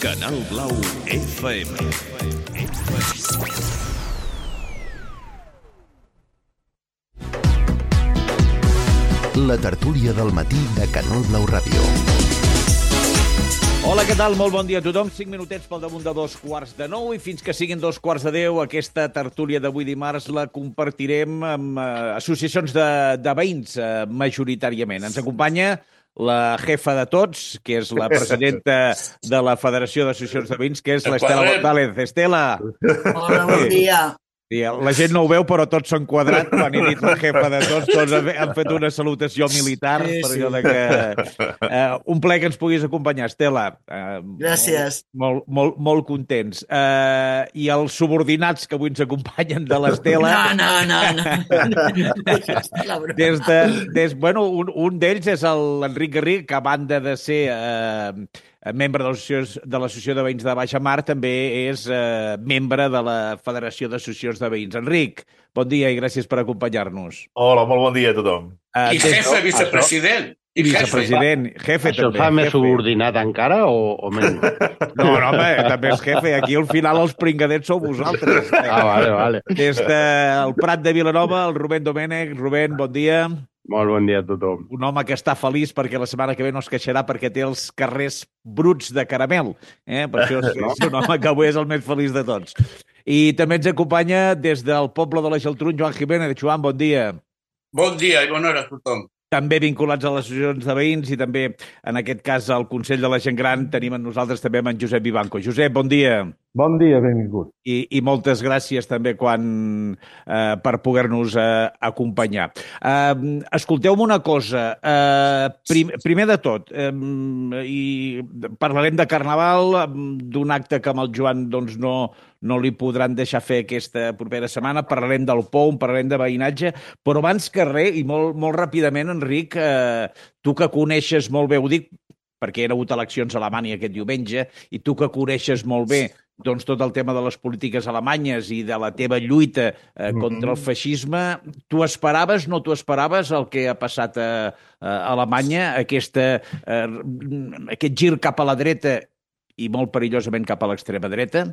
Canal Blau FM. La tertúlia del matí de Canal Blau Ràdio. Hola, què tal? Molt bon dia a tothom. 5 minutets pel damunt de 8:45 i fins que siguin 9:10 aquesta tertúlia d'avui dimarts la compartirem amb associacions de veïns majoritàriament. Ens acompanya la jefa de tots, que és la presidenta de la Federació d'Associacions de Veïns, que és l'Estela González. Estela! Hola, bon dia. Sí, la gent no ho veu, però tots s'han quadrat. Quan he dit la jefa de tots han fet una salutació militar. Sí, per sí. allò de que... un plaer que ens puguis acompanyar, Estela. Gràcies. Molt contents. I els subordinats que avui ens acompanyen de l'Estela... No. Un d'ells és l'Enric Garriga, que a banda de ser membre de l'Associació de Veïns de Baixa Mar, també és membre de la Federació d'Associacions de Veïns. Enric, bon dia i gràcies per acompanyar-nos. Hola, molt bon dia a tothom. I jefe, vicepresident. I vicepresident, jefe Això també. fa més subordinat encara o menys? No, home, també és jefe. Aquí al final els pringadets sou vosaltres. Vale. Des del Prat de Vilanova, el Rubén Domènech. Rubén, bon dia. Molt bon dia a tothom. Un home que està feliç perquè la setmana que ve no es queixarà perquè té els carrers bruts de caramel. Per això és un home que avui és el més feliç de tots. I també ens acompanya des del poble de la Geltrú, Joan Jiménez. Joan, bon dia. Bon dia i bona hora a tothom. També vinculats a les associacions de veïns i també, en aquest cas, al Consell de la Gent Gran, tenim amb nosaltres també amb en Josep Vivanco. Josep, bon dia. Bon dia, benvingut. I moltes gràcies també per poder-nos acompanyar. Escolteu-me una cosa. Primer de tot, i parlarem de Carnaval, d'un acte que amb el Joan doncs, no li podran deixar fer aquesta propera setmana. Parlarem del POUM, parlarem de veïnatge, però abans que res, i molt ràpidament, Enric, tu que coneixes molt bé, ho dic perquè hi ha hagut eleccions a Alemanya aquest diumenge, i tu que coneixes molt bé doncs, tot el tema de les polítiques alemanyes i de la teva lluita contra el feixisme, tu esperaves, no t'ho esperaves, el que ha passat a Alemanya, aquest gir cap a la dreta i molt perillosament cap a l'extrema dreta?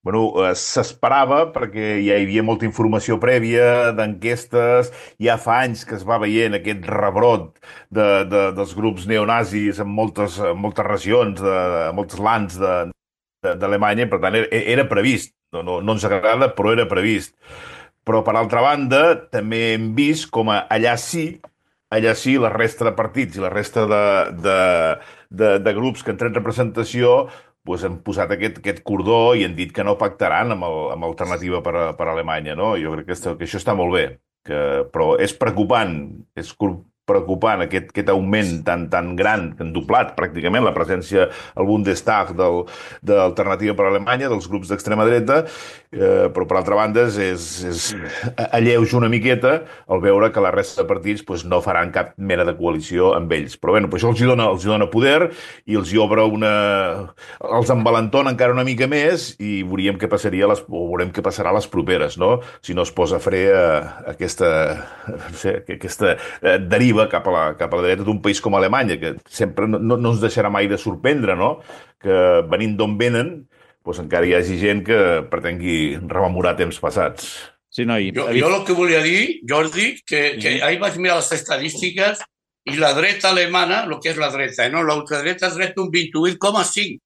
S'esperava perquè ja hi havia molta informació prèvia d'enquestes, ja fa anys que es va veient aquest rebrot dels grups neonazis en moltes regions, en molts lands d'Alemanya, per tant era previst, no ens agrada, però era previst. Però per altra banda també hem vist com allà sí la resta de partits i la resta de grups que han tret representació han posat aquest cordó i han dit que no pactaran amb Alternativa per Alemanya, no? Jo crec que això està molt bé, però és preocupant, aquest augment tan gran, que han doblat pràcticament la presència al Bundestag d'Alternativa per Alemanya, dels grups d'extrema dreta, però per altra banda alleuja una miqueta al veure que la resta de partits no faran cap mena de coalició amb ells. Però bé, això els dona poder i els hi obre els envalentona encara una mica més i veurem què passarà a les properes, no? Si no es posa fre a aquesta deriva cap a la dreta d'un país com Alemanya, que sempre no ens deixarà mai de sorprendre, no? Que venint d'on venen, encara hi hagi gent que pretengui rememorar temps passats. Sí, no, jo el que volia dir, Jordi, que ahir vaig mirar les estadístiques i la dreta alemana, el que és la dreta, no? L'ultradreta és dreta un 28,5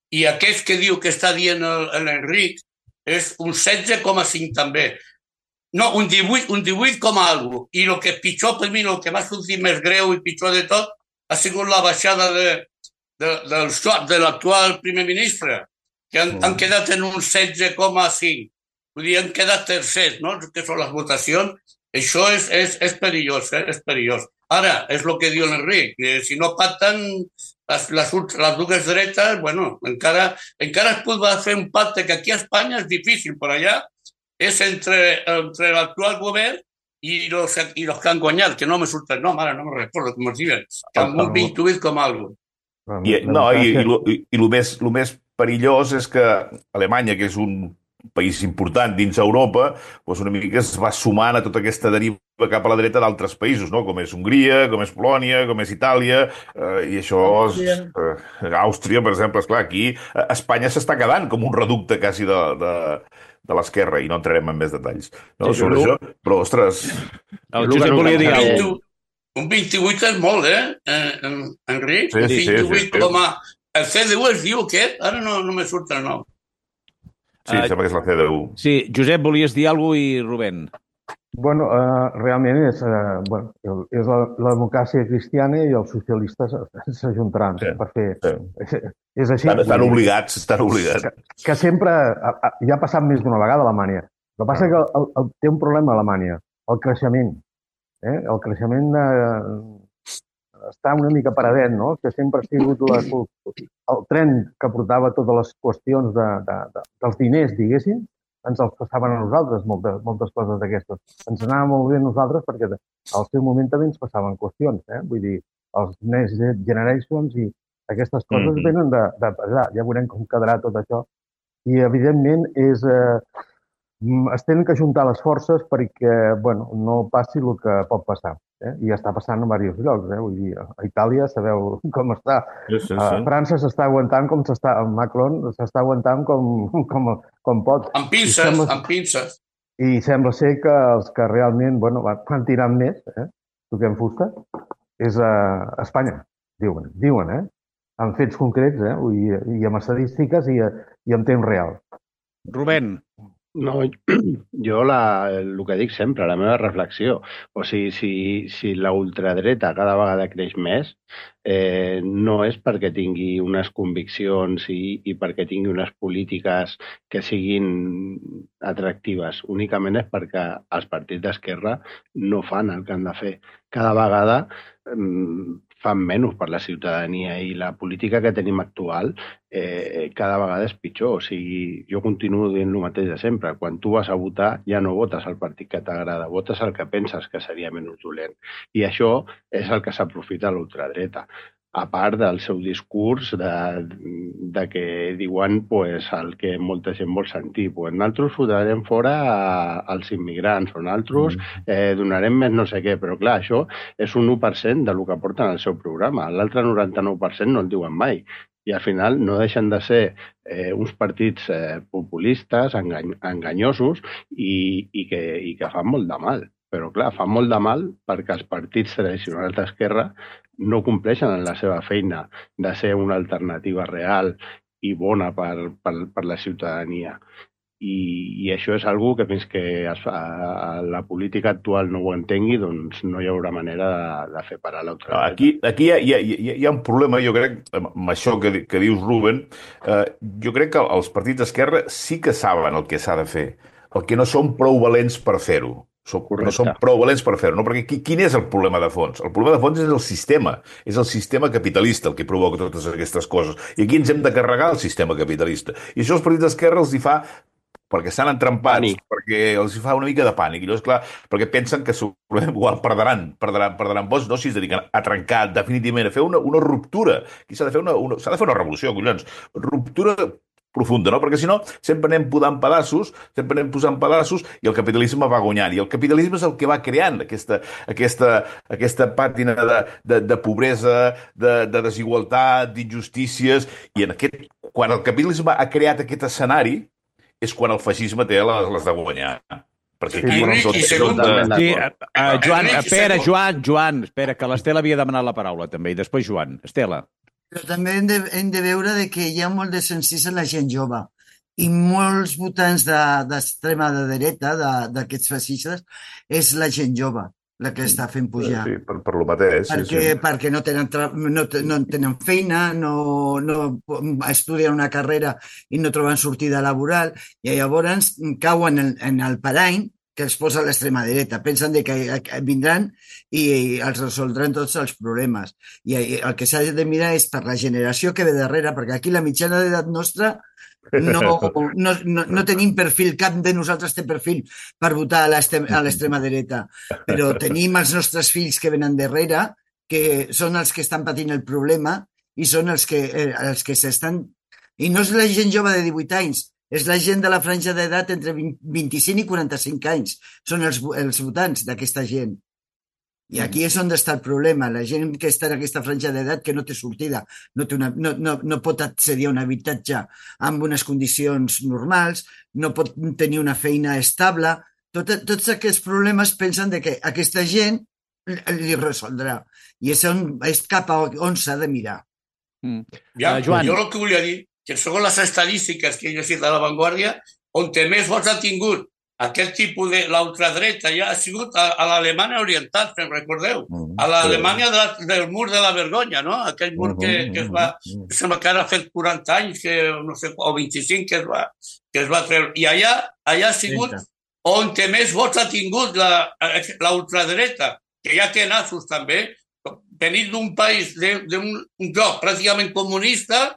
i aquest que diu que està dient l'Enric és un 16,5 també. No, un 18 com a algo. I el que pitjor per mi, el que m'ha sortit més greu i pitjor de tot, ha sigut la baixada del Schwab, de l'actual primer ministre, que han quedat en un 16,5. Vull dir, han quedat tercers, no?, que són les votacions. Això és perillós, és perillós. Ara, és el que diu l'Enric, si no pacten les dues dretes, encara es pot fer un pacte que aquí a Espanya és difícil, per allà és entre l'actual govern i los que han guanyat, que no me surta el nom, ara no me recordo com es diuen, amb un 28 com algo. I el més perillós és que Alemanya, que és un país important dins Europa, doncs una mica es va sumant a tota aquesta deriva cap a la dreta d'altres països, no? Com és Hongria, com és Polònia, com és Itàlia, i això és... Àustria, per exemple, esclar, aquí Espanya s'està quedant com un reducte quasi de l'esquerra, i no entrarem en més detalls sobre això, però, ostres... El Josep volia dir alguna cosa. Un 28 és molt, Enric? Sí, 28 com a... El CDU es diu aquest? Ara no me surt el nom. Sí, sembla que és la CDU. Sí, Josep, volies dir alguna cosa i Rubén? Bueno, realment és la democràcia cristiana i els socialistes s'ajuntaran per fer... És així. Estan obligats. Que sempre... Ja ha passat més d'una vegada a Alemanya. El que passa és que té un problema a Alemanya, el creixement. El creixement està una mica paradet, no? Que sempre ha sigut el tren que portava totes les qüestions dels diners, diguéssim, ens els passaven a nosaltres, moltes coses d'aquestes. Ens anava molt bé a nosaltres perquè al seu moment també ens passaven qüestions, vull dir, els Next Generations i aquestes coses venen de allà. Ja veurem com quedarà tot això. I, evidentment, es tenen que ajuntar les forces perquè no passi el que pot passar. I ja està passant en diversos llocs. Vull dir, a Itàlia sabeu com està. Sí. França s'està aguantant com s'està... Macron s'està aguantant com pot. Amb pinces. I sembla ser que els que realment van tirant més, toquem fusta, és a Espanya, diuen, amb fets concrets, i amb estadístiques i en temps real. Rubén. No, jo el que dic sempre, la meva reflexió, o sigui, si la ultradreta cada vegada creix més, no és perquè tingui unes conviccions i perquè tingui unes polítiques que siguin atractives, únicament és perquè els partits d'esquerra no fan el que han de fer. Cada vegada fan menys per la ciutadania i la política que tenim actual cada vegada és pitjor. O sigui, jo continuo dient el mateix de sempre. Quan tu vas a votar ja no votes el partit que t'agrada, votes el que penses que seria menys dolent. I això és el que s'aprofita l'ultradreta. A part del seu discurs de que diuen el que molta gent vol sentir. Nosaltres fotrem fora els immigrants, o nosaltres donarem més no sé què, però clar, això és un 1% del que porten al seu programa. L'altre 99% no el diuen mai. I al final no deixen de ser uns partits populistes, enganyosos i que fan molt de mal. Però clar, fan molt de mal perquè els partits tradicionals d'esquerra no compleixen en la seva feina de ser una alternativa real i bona per la ciutadania. I això és una que fins que la política actual no ho entengui, doncs no hi haurà manera de fer parar l'altra. Aquí hi ha un problema, jo crec, amb això que dius, Rubén. Jo crec que els partits d'esquerra sí que saben el que s'ha de fer. El que no són prou valents per fer-ho. No són prou valents per fer-ho, no? Perquè quin és el problema de fons? El problema de fons és el sistema capitalista el que provoca totes aquestes coses. I aquí ens hem de carregar el sistema capitalista. I això els partits d'esquerra els hi fa perquè estan entrampats, perquè els hi fa una mica de pànic. I llavors, clar, perquè pensen que igual perdran vots, no? Si es dediquen a trencar definitivament, a fer una ruptura. Aquí s'ha de fer una revolució, collons. Ruptura profunda, no? Perquè si no, sempre anem posant pedaços i el capitalisme va guanyant. I el capitalisme és el que va creant aquesta pàtina de pobresa, de desigualtat, d'injustícies. I quan el capitalisme ha creat aquest escenari és quan el feixisme té les de guanyar. Perquè aquí... Joan, espera, que l'Estela havia demanat la paraula també, i després Joan. Estela. Però també hem de veure que hi ha molt de censís en la gent jove i molts votants d'extrema dreta, d'aquests feixistes, és la gent jove la que està fent pujar. Sí, per lo mateix. Perquè no tenen feina, no estudien una carrera i no troben sortida laboral, i llavors cauen en el parany que els posa l'extrema dreta. Pensen que vindran i els resoldran tots els problemes. I el que s'ha de mirar és per la generació que ve darrere, perquè aquí la mitjana d'edat nostra no tenim perfil, cap de nosaltres té perfil per votar a l'extrema dreta, però tenim els nostres fills que venen darrere, que són els que estan patint el problema i són els que s'estan... I no és la gent jove de 18 anys, és la gent de la franja d'edat entre 25 i 45 anys. Són els votants d'aquesta gent. I aquí és on està el problema. La gent que està en aquesta franja d'edat que no té sortida, no pot accedir a un habitatge amb unes condicions normals, no pot tenir una feina estable. Tots aquests problemes pensen que aquesta gent li resoldrà. I és cap a on s'ha de mirar. Joan. Jo el que volia dir, que segons les estadístiques que he llegit a La Vanguardia, on més vots ha tingut aquest tipus de l'ultradreta ja ha sigut a l'Alemanya Oriental, si recordeu, a l'Alemanya del mur de la vergonya, no? Aquell mur que es va, sembla que ara ha fet 40 anys, no sé, o 25 que es va treure. I allà ha sigut on més vots ha tingut la ultradreta, que ja té nassos també, venint d'un país, d'un lloc pràcticament comunista,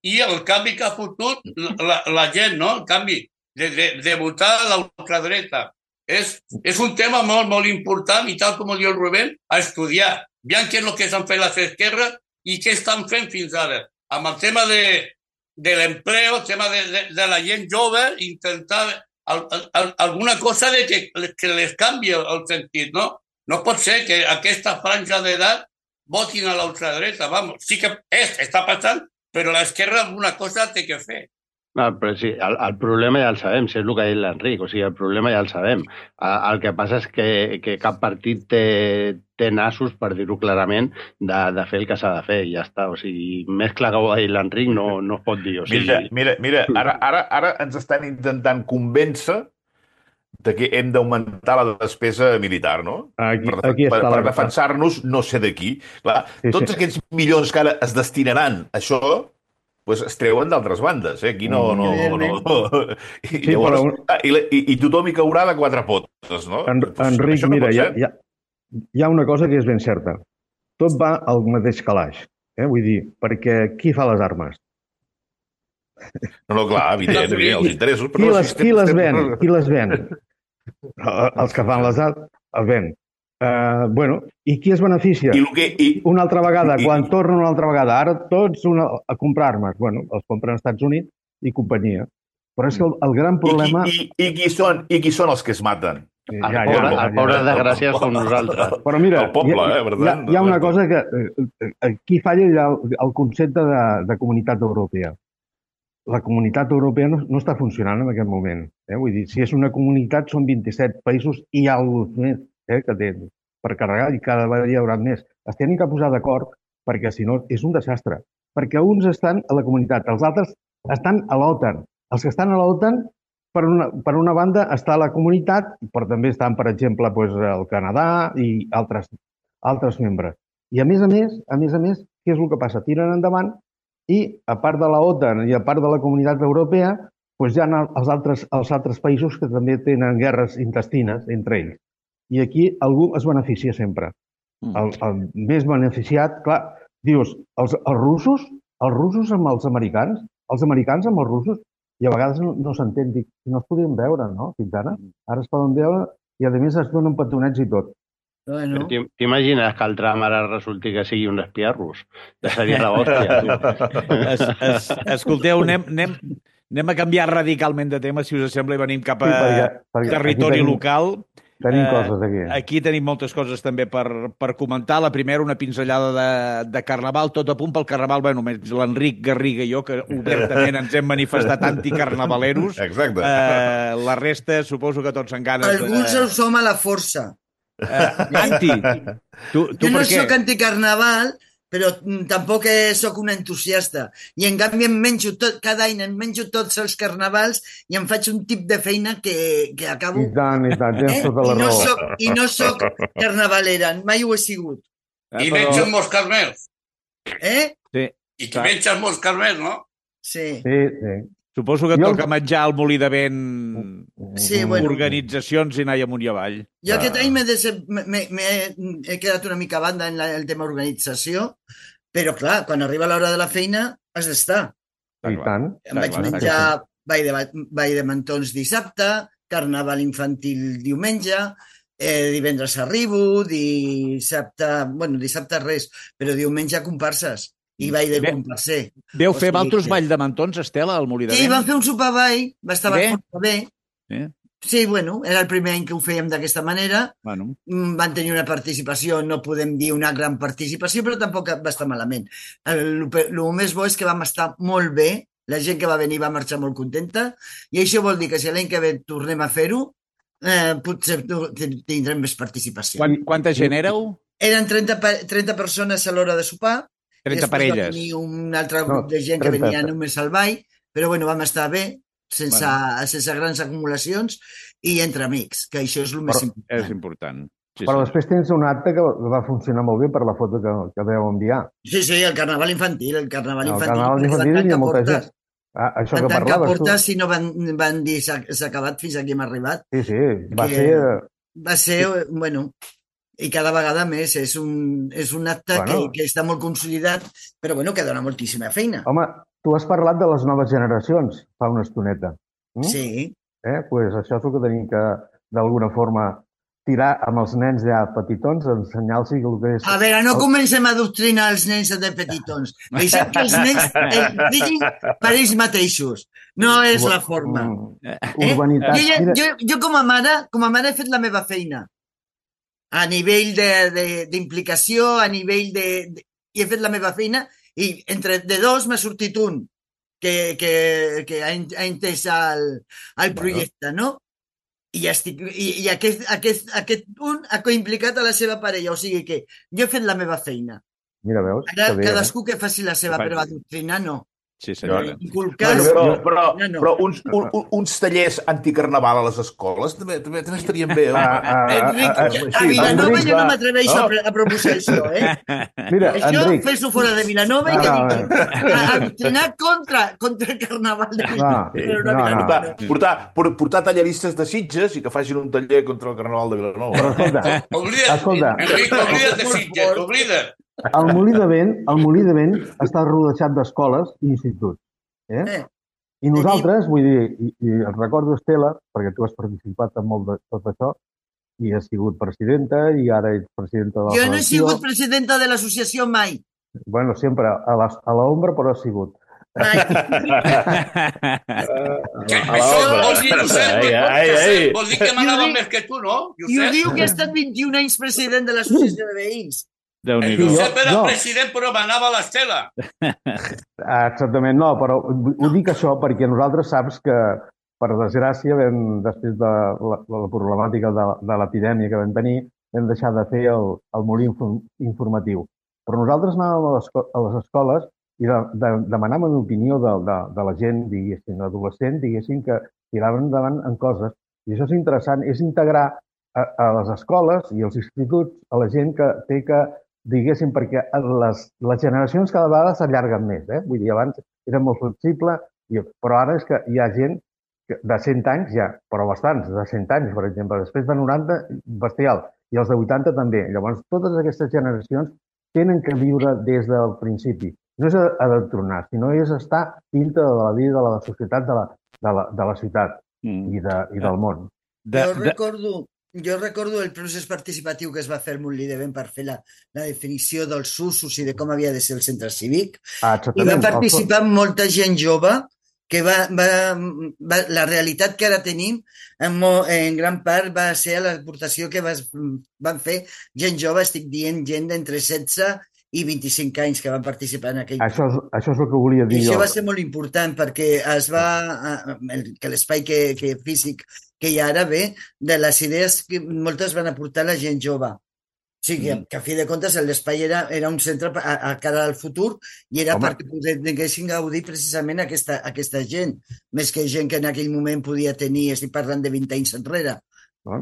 i el canvi que ha fotut la gent, no? El canvi de votar a la ultradreta. És un tema molt, molt important i tal com diu el Rubén, a estudiar. Veiem què és el que s'han fet les esquerres i què estan fent fins ara. Amb el tema de l'empleo, el tema de la gent jove, intentar alguna cosa que les canvi el sentit, no? No pot ser que aquesta franja d'edat votin a la ultradreta. Vamos, sí que està passant, però l'esquerra alguna cosa té que fer. No, però sí, el problema ja el sabem, si és el que ha dit l'Enric, o sigui, el problema ja el sabem. El que passa és que cap partit té nassos, per dir-ho clarament, de fer el que s'ha de fer, i ja està. O sigui, més clar que ho ha dit l'Enric no es pot dir. O sigui... Mira, ara ens estan intentant convèncer de que hem d'augmentar la despesa militar, no? Aquí està per defensar-nos no sé de qui. Clar, tots aquests milions que ara es destinaran a això, pues es treuen d'altres bandes, eh? Aquí no. I, llavors, i tothom hi caurà de quatre potes, no? Enric, mira, hi ha una cosa que és ben certa. Tot va al mateix calaix. Vull dir, perquè qui fa les armes? No, clar, evident, els interessos. Qui les ven? Els que fan les armes els ven. I qui es beneficia? Una altra vegada, quan tornen una altra vegada, ara tots a comprar armes. Els compren als Estats Units i companyia. Però és que el gran problema... I qui són els que es maten? El pobre desgraciat som nosaltres. Però mira, el poble, per tant. Hi ha una cosa que aquí falla el concepte de comunitat europea. La comunitat europea no està funcionant en aquest moment. Vull dir, si és una comunitat, són 27 països i alguns més que tenen per carregar i cada vegada hi haurà més. Es tenen que posar d'acord perquè, si no, és un desastre. Perquè uns estan a la comunitat, els altres estan a l'OTAN. Els que estan a l'OTAN, per una banda, està a la comunitat, però també estan, per exemple, el Canadà i altres membres. I a més a més, què és el que passa? Tiren endavant i, a part de la OTAN i a part de la comunitat europea, hi ha els altres països que també tenen guerres intestines entre ells. I aquí algú es beneficia sempre. El més beneficiat, clar, dius, els russos amb els americans amb els russos, i a vegades no s'entén, dic, no es podien veure, no?, fins ara. Ara es poden veure i, a més, es donen petonets i tot. Bueno. T'imagines que el Trump ara resulti que sigui un espia rus? Ja seria la hòstia. Escolteu, anem a canviar radicalment de tema, si us sembla, i venim cap a territori local. Tenim coses aquí. Aquí tenim moltes coses també per comentar. La primera, una pinzellada de Carnaval, tot a punt pel Carnaval. Bé, només l'Enric Garriga i jo, que obertament ens hem manifestat anticarnavaleros. Exacte. La resta, suposo que tots en ganes... Alguns els som a la força. Anti. Tu jo no per què? soc anticarnaval, però tampoc soc un entusiasta. I en canvi cada any em menjo tots els carnavals i em faig un tip de feina que acabo... I tant, tens tota la raó. I no soc carnavalera, mai ho he sigut. I menges molts carmels. Sí. I tu menges molts carmels, no? Sí. Suposo que et toca menjar al Molí de Vent organitzacions i anar amunt i avall. Jo aquest any he quedat una mica a banda en el tema organització, però clar, quan arriba l'hora de la feina has d'estar. I tant. Em vaig menjar ball de mantons dissabte, carnaval infantil diumenge, divendres arribo, dissabte res, però diumenge comparses. i ball de comparser. Veu fer altres ball de mantons, Estela, al Molí de Sí, Vent? vam fer un sopar ball, va estar força bé. Sí, bueno, era el primer any que ho fèiem d'aquesta manera. Bueno. Van tenir una participació, no podem dir una gran participació, però tampoc va estar malament. El més bo és que vam estar molt bé, la gent que va venir va marxar molt contenta, i això vol dir que si l'any que ve tornem a fer-ho, potser tindrem més participació. Quanta gent éreu? Eren 30 persones a l'hora de sopar. 30 parelles. Va venir un altre grup de gent que venia només al ball, però bueno, vam estar bé, sense grans acumulacions i entre amics, que això és el més important. És important. Sí, però després tens un acte que va funcionar molt bé per la foto que vau enviar. Sí, el carnaval infantil. El carnaval infantil hi ha molta gent. Això que parlaves tu. Si no van dir s'ha acabat, fins aquí hem arribat. Sí, va ser... bueno, i cada vegada més és un acte que està molt consolidat, però bueno, que dona moltíssima feina. Home, tu has parlat de les noves generacions fa una estoneta. Sí. Pues això és el que tenim que, d'alguna forma, tirar amb els nens ja petitons, ensenyar-los el que és... A veure, no comencem a adoctrinar els nens de petitons. Deixem que els nens diguin per ells mateixos. No és la forma. Jo com a mare he fet la meva feina. A nivell d'implicació, a nivell de... I he fet la meva feina i entre de dos m'ha sortit un que ha entès el projecte, no? I aquest un ha implicat a la seva parella, o sigui que jo he fet la meva feina. Mira, veus? Ara cadascú que faci la seva, però adoctrinar no. Sí, senyora. Però uns tallers anticarnaval a les escoles també estarien bé. Enric, a Vilanova jo no m'atreveixo a proposar això, Mira, això Enric... fes-ho fora de Vilanova i que digui adoctrinar contra el carnaval de Vilanova. Portar talleristes de Sitges i que facin un taller contra el carnaval de Vilanova. Enric, oblida't de Sitges, oblida't. El Molí de Vent està rodejat d'escoles i instituts. I nosaltres, vull dir, i et recordo, Estela, perquè tu has participat en molt de tot això, i has sigut presidenta, i ara ets presidenta de la Jo no he sigut presidenta de l'associació mai. Bueno, sempre a l'ombra, però has sigut. Això vol dir, Josep, vol dir que m'anava més que tu, no? I ho diu que ha estat 21 anys president de l'associació de veïns. Josep era president, però manava l'Estela. Exactament, no, però ho dic això perquè nosaltres saps que, per desgràcia, després de la problemàtica de l'epidèmia que vam tenir, vam deixar de fer el molí informatiu. Però nosaltres anàvem a les escoles i demanàvem l'opinió de la gent, diguéssim, adolescent, diguéssim, que tiraven endavant en coses. I això és interessant, és integrar a les escoles i als instituts a la gent que té que, diguéssim, perquè les generacions cada vegada s'allarguen més. Vull dir, abans era molt flexible, però ara és que hi ha gent de 100 anys ja, però bastants, de 100 anys, per exemple. Després de 90, bestial. I els de 80 també. Llavors, totes aquestes generacions tenen que viure des del principi. No és adoctrinar, sinó és estar dintre de la vida de la societat de la ciutat i del món. Jo recordo el procés participatiu que es va fer al Molí de Vent per fer la definició dels usos i de com havia de ser el centre cívic. I va participar molta gent jove que la realitat que ara tenim en gran part va ser l'aportació que van fer gent jove, estic dient gent d'entre 16 i 25 anys que van participar en aquell... Això és el que volia dir jo. Això va ser molt important perquè que l'espai físic que hi ha ara ve de les idees que moltes van aportar la gent jove. O sigui, que a fi de comptes l'espai era un centre a cara al futur i era perquè poguessin gaudir precisament aquesta gent, més que gent que en aquell moment podia tenir, estic parlant de 20 anys enrere,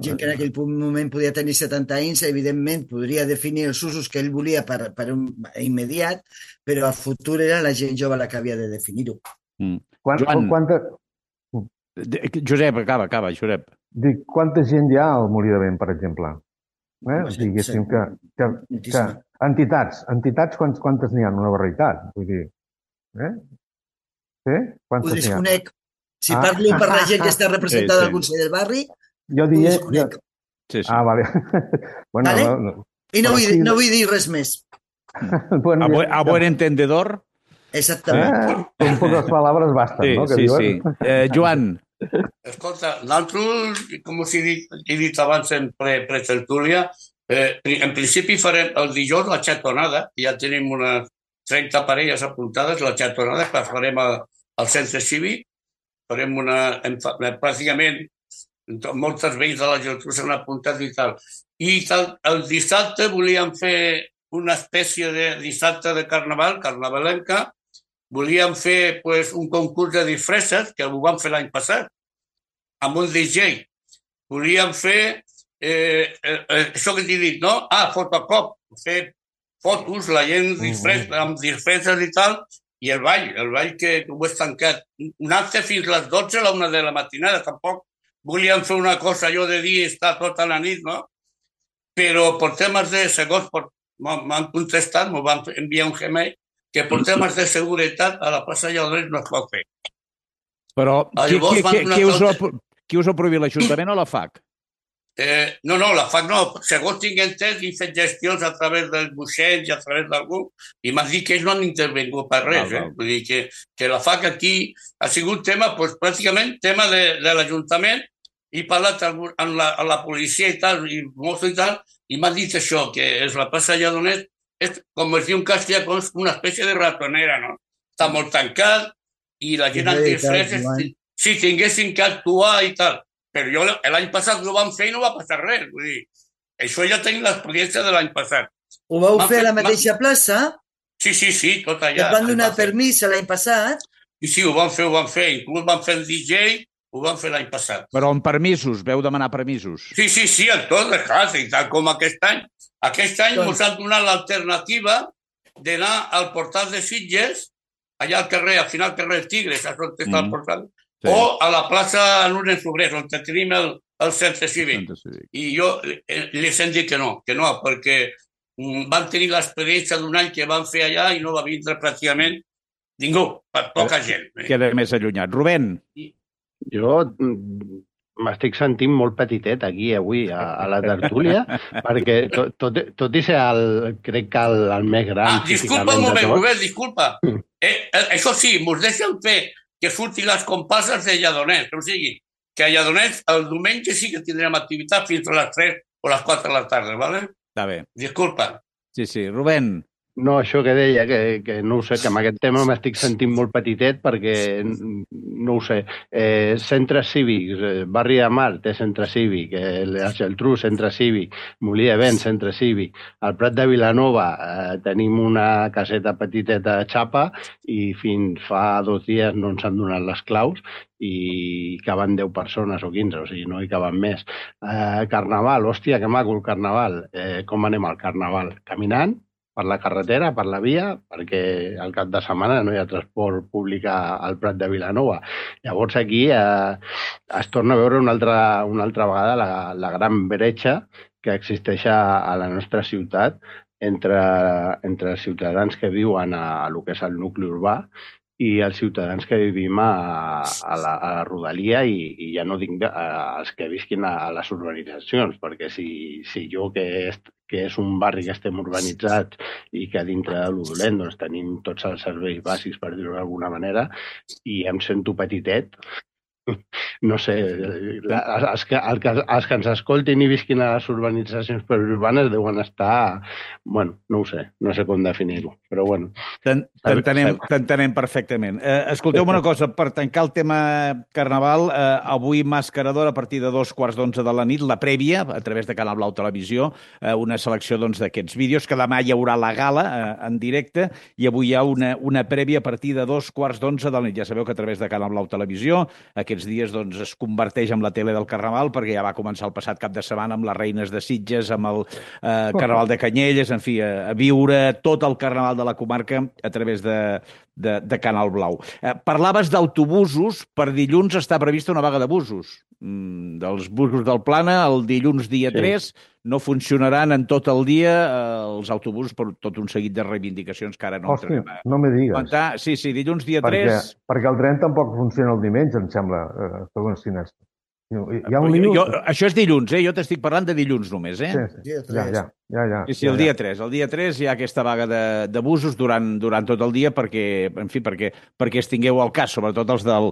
gent que en aquell moment podia tenir 70 anys, evidentment podria definir els usos que ell volia per un immediat, però a futur era la gent jove la que havia de definir-ho. Josep, acaba, Josep. Dic, quanta gent hi ha al Molí de Vent, per exemple? Diguéssim que entitats, quantes n'hi ha? Una barreïtat, vull dir. Sí? Ho desconec. Si parlo per la gent que està representada al Consell del Barri, jo diria... Sí. Vale. I no vull dir res més. A buen entendedor. Exactament. Con pocas palabras bastan, Sí, no? Que sí, diuen. sí. Joan, Escolta, nosaltres, com us he dit abans en pre-tertúlia, en principi farem el dijous la xatonada, ja tenim unes 30 parelles apuntades, la xatonada que farem al centre cívic, farem pràcticament moltes veïns de la Geltrú s'han apuntat i tal. I el dissabte volíem fer una espècie de dissabte de carnaval, carnavalenca, volíem fer un concurs de disfresses, que ho vam fer l'any passat, amb un DJ. Volíem fer això que t'he dit, no? Fotocop, fer fotos, la gent amb disfresses i tal, i el ball que ho és tancat. Un acte fins a les 12 a la 1 de la matinada, tampoc volíem fer una cosa allò de dir estar tota la nit, no? Però per temes de segons, m'han contestat, m'ho van enviar un Gmail, que per temes de seguretat a la plaça Lladrés no es pot fer. però qui us ho prohibit, l'Ajuntament o la FAC? No, la FAC no. Segons tinc entès, he fet gestions a través dels buixets i a través d'algú, i m'han dit que ells no han intervingut per res. Vull dir que la FAC aquí ha sigut tema, pràcticament tema de l'Ajuntament. He parlat amb la policia i tal, i Mosso i tal, i m'han dit això, que és la plaça Lledoners, és, com es diu en castellà, una espècie de ratonera, no? Està molt tancat i la gent amb disfresses, si tinguessin que actuar i tal. Però l'any passat ho vam fer i no va passar res. Vull dir, això ja tenim l'experiència de l'any passat. Ho vau fer a la mateixa plaça? Sí, tot allà. Et van donar permís l'any passat? Sí, ho vam fer. Inclús vam fer el DJ, ho vam fer l'any passat. Però amb permisos, veu demanar permisos. Sí, en tot, clar, i tal com aquest any. Aquest any ens han donat l'alternativa d'anar al portal de Sitges, allà al carrer, al final carrer Tigres, a on està el portal, o a la plaça Lourdes Sobrers, on tenim el centre cívic. I jo les hem dit que no, perquè van tenir l'experiència d'un any que van fer allà i no va vindre pràcticament ningú, poca gent. Queda més allunyat. Rubén. Jo m'estic sentint molt petitet aquí avui a la tertúlia, perquè tot i ser crec que el més gran... Disculpa un moment, Rubén, disculpa. Això sí, mos deixen fer que surtin les comparses de Lledoners, o sigui, que a Lledoners el diumenge sí que tindrem activitat fins a les 3 o les 4 de la tarda, ¿vale? Està bé. Disculpa. Sí, Rubén. No, això que deia, que no ho sé, que amb aquest tema m'estic sentint molt petitet perquè, no ho sé, centres cívics, Barri de Mar té centre cívic, la Geltrú, centre cívic, Molí de Vent, centre cívic, al Prat de Vilanova tenim una caseta petiteta de xapa i fins fa 2 dies no ens han donat les claus i caben 10 persones o 15, o sigui, no hi caben més. Carnaval, hòstia, que maco el carnaval. Com anem al carnaval? Caminant? Per la carretera, per la via, perquè al cap de setmana no hi ha transport públic al Prat de Vilanova. Llavors aquí es torna a veure una altra vegada la gran bretxa que existeix a la nostra ciutat entre els ciutadans que viuen a lo que és el nucli urbà i els ciutadans que vivim a la rodalia i ja no dic els que visquin a les urbanitzacions, perquè si jo que és un barri que estem urbanitzats i que dintre de lo dolent doncs, tenim tots els serveis bàsics, per dir-ho d'alguna manera, i em sento petitet, no sé, els que ens escoltin i visquin a les urbanitzacions urbanes deuen estar, bueno, no ho sé, no sé com definir-ho, però bueno. T'entenem perfectament. Escolteu una cosa, per tancar el tema carnaval, avui Mascarador a partir de 2:15 de la nit, la prèvia, a través de Canal Blau Televisió, una selecció d'aquests vídeos, que demà hi haurà la gala en directe, i avui hi ha una prèvia a partir de 2:15 de la nit. Ja sabeu que a través de Canal Blau Televisió aquests dies es converteix en la tele del Carnaval, perquè ja va començar el passat cap de setmana amb les Reines de Sitges, amb el Carnaval de Canyelles, en fi, a viure tot el Carnaval de la comarca a través de Canal Blau. Parlaves d'autobusos. Per dilluns està prevista una vaga de busos. Dels busos del Plana, el dilluns dia 3, no funcionaran en tot el dia els autobusos per tot un seguit de reivindicacions que ara no entrarem a... no me digues. Sí, dilluns dia 3... Perquè el tren tampoc funciona el diumenge, em sembla, segons quines Hi ha un lío... Això és dilluns, Jo t'estic parlant de dilluns només, Sí. Ja. Sí, el dia 3. El dia 3 hi ha aquesta vaga de busos durant tot el dia perquè es tingueu al cas, sobretot els del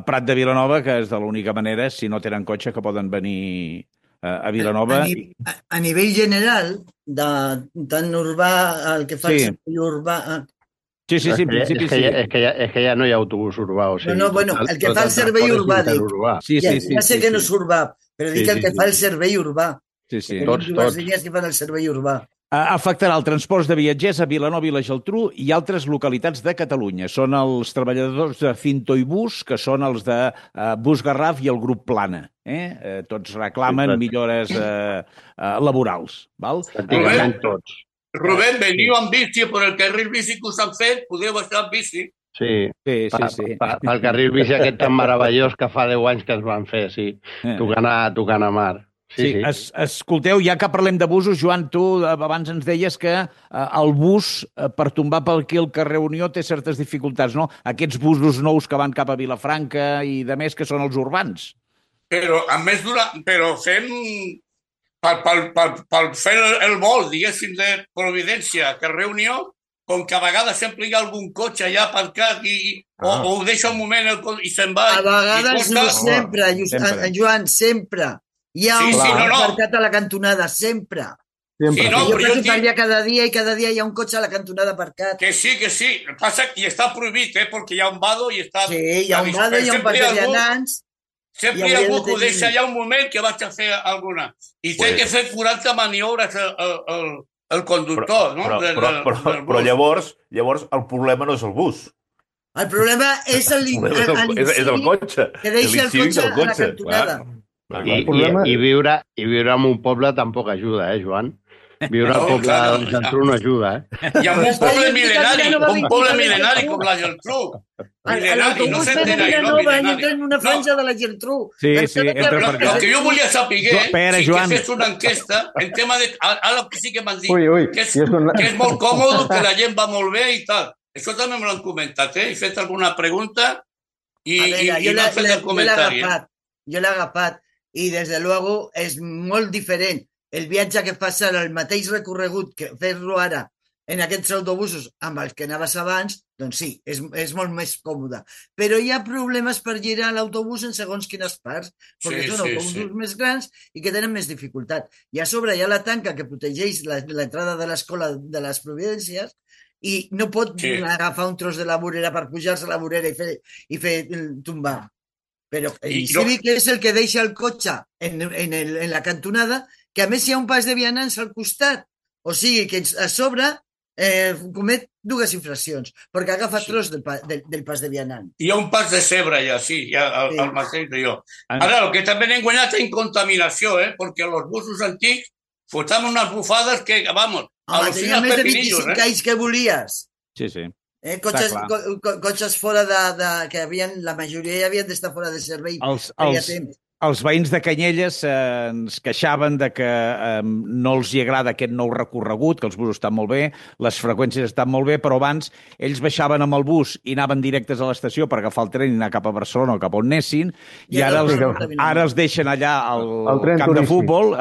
Prat de Vilanova, que és de l'única manera, si no tenen cotxe, que poden venir a Vilanova. A nivell general, tant urbà, el que fa el servei urbà... Sí, en principi sí. És que ja no hi ha autobús urbà. O sigui, bueno, el que fa el servei urbà, dic. Sí. Ja sé que no és urbà, però dic el que fa el servei urbà. Sí. Tots. Dues línies que fan el servei urbà. Afectarà el transport de viatgers a Vilanova i la Geltrú i altres localitats de Catalunya. Són els treballadors de Cinto i Bus, que són els de Bus Garraf i el grup Plana. Tots reclamen millores laborals. Pràcticament tots. Rubén, veniu amb bici per el carril bici que us han fet, podeu estar amb bici. Sí. Pel carril bici aquest tan meravellós que fa 10 anys que es van fer, sí. Tocant a mar. Sí. Escolteu, ja que parlem de busos, Joan, tu abans ens deies que el bus, per tombar per aquí el carrer Unió, té certes dificultats, no? Aquests busos nous que van cap a Vilafranca i de més, que són els urbans. Però, a més, fem... Per fer el vol, diguéssim, de Providència a carrer Unió, com que a vegades sempre hi ha algun cotxe allà aparcat o ho deixa un moment i se'n va... A vegades no sempre, Joan, sempre. Hi ha un aparcat a la cantonada, sempre. Sí, no, jo passo per allà cada dia i cada dia hi ha un cotxe a la cantonada aparcat. Que sí. Passa que està prohibit, perquè hi ha un vado i està... Sí, hi ha un vado, hi ha un pas de vianants... Sempre hi ha algú que ho deixa allà un moment que vaig a fer alguna. I té que fer 40 maniobres el conductor, no? Però llavors el problema no és el bus. El problema és el cotxe. Que deixa el cotxe a la cantonada. I viure en un poble tampoc ajuda, Joan? Viure al poble de Geltrú no ajuda, I amb un poble mil·lenari com la Geltrú. L'autobús ve de Vilanova i entra en una franja de la Geltrú. Sí, entra per allà. El que jo volia saber és que fes una enquesta en tema de... Ara que sí que m'han dit que és molt còmode, que la gent va molt bé i tal. Això també me l'han comentat, He fet alguna pregunta i m'han fet el comentari. Jo l'he agafat i, des de luego, és molt diferent el viatge que fas ara, el mateix recorregut que fer-lo ara en aquests autobusos amb els que anaves abans, doncs sí, és molt més còmode. Però hi ha problemes per girar l'autobús en segons quines parts, perquè són autobusos més grans i que tenen més dificultat. I a sobre hi ha la tanca que protegeix l'entrada de l'escola de les Providències i no pot agafar un tros de la vorera per pujar-se a la vorera i fer tombar. Però el cívic és el que deixa el cotxe en la cantonada, que a més hi ha un pas de vianants al costat. O sigui que a sobre comet dues infraccions, perquè agafa tros del pas de vianants. Hi ha un pas de zebra ja, sí, al mateix de jo. Ara, el que també n'hem guanyat en contaminació, perquè els busos antics fotem unes bufades que, vamos, tenia més de 25 anys que volies. Sí. Cotxes fora que la majoria ja havien d'estar fora de servei. Els veïns de Canyelles ens queixaven de que no els hi agrada aquest nou recorregut, que els busos estan molt bé, les freqüències estan molt bé, però abans ells baixaven amb el bus i anaven directes a l'estació per agafar el tren i anar cap a Barcelona o cap on anessin, i ara els deixen allà al camp de futbol,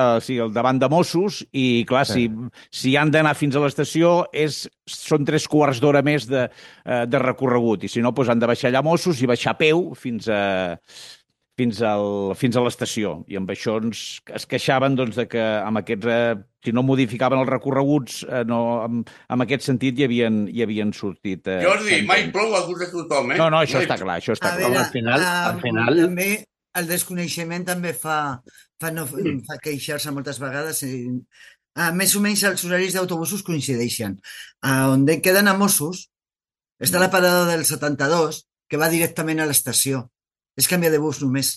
davant de Mossos, i clar, si han d'anar fins a l'estació són 3 quarts d'hora més de recorregut, i si no, han de baixar allà a Mossos i baixar a peu fins a l'estació. I amb això es queixaven de que amb aquests, si no modificaven els recorreguts, en aquest sentit hi havien sortit... Jordi, mai plou a gust de tothom, No, això està clar, Al final... També el desconeixement també fa queixar-se moltes vegades. Més o menys els horaris d'autobusos coincideixen. On queden a Mossos està la parada del 72, que va directament a l'estació. És canviar de bus només.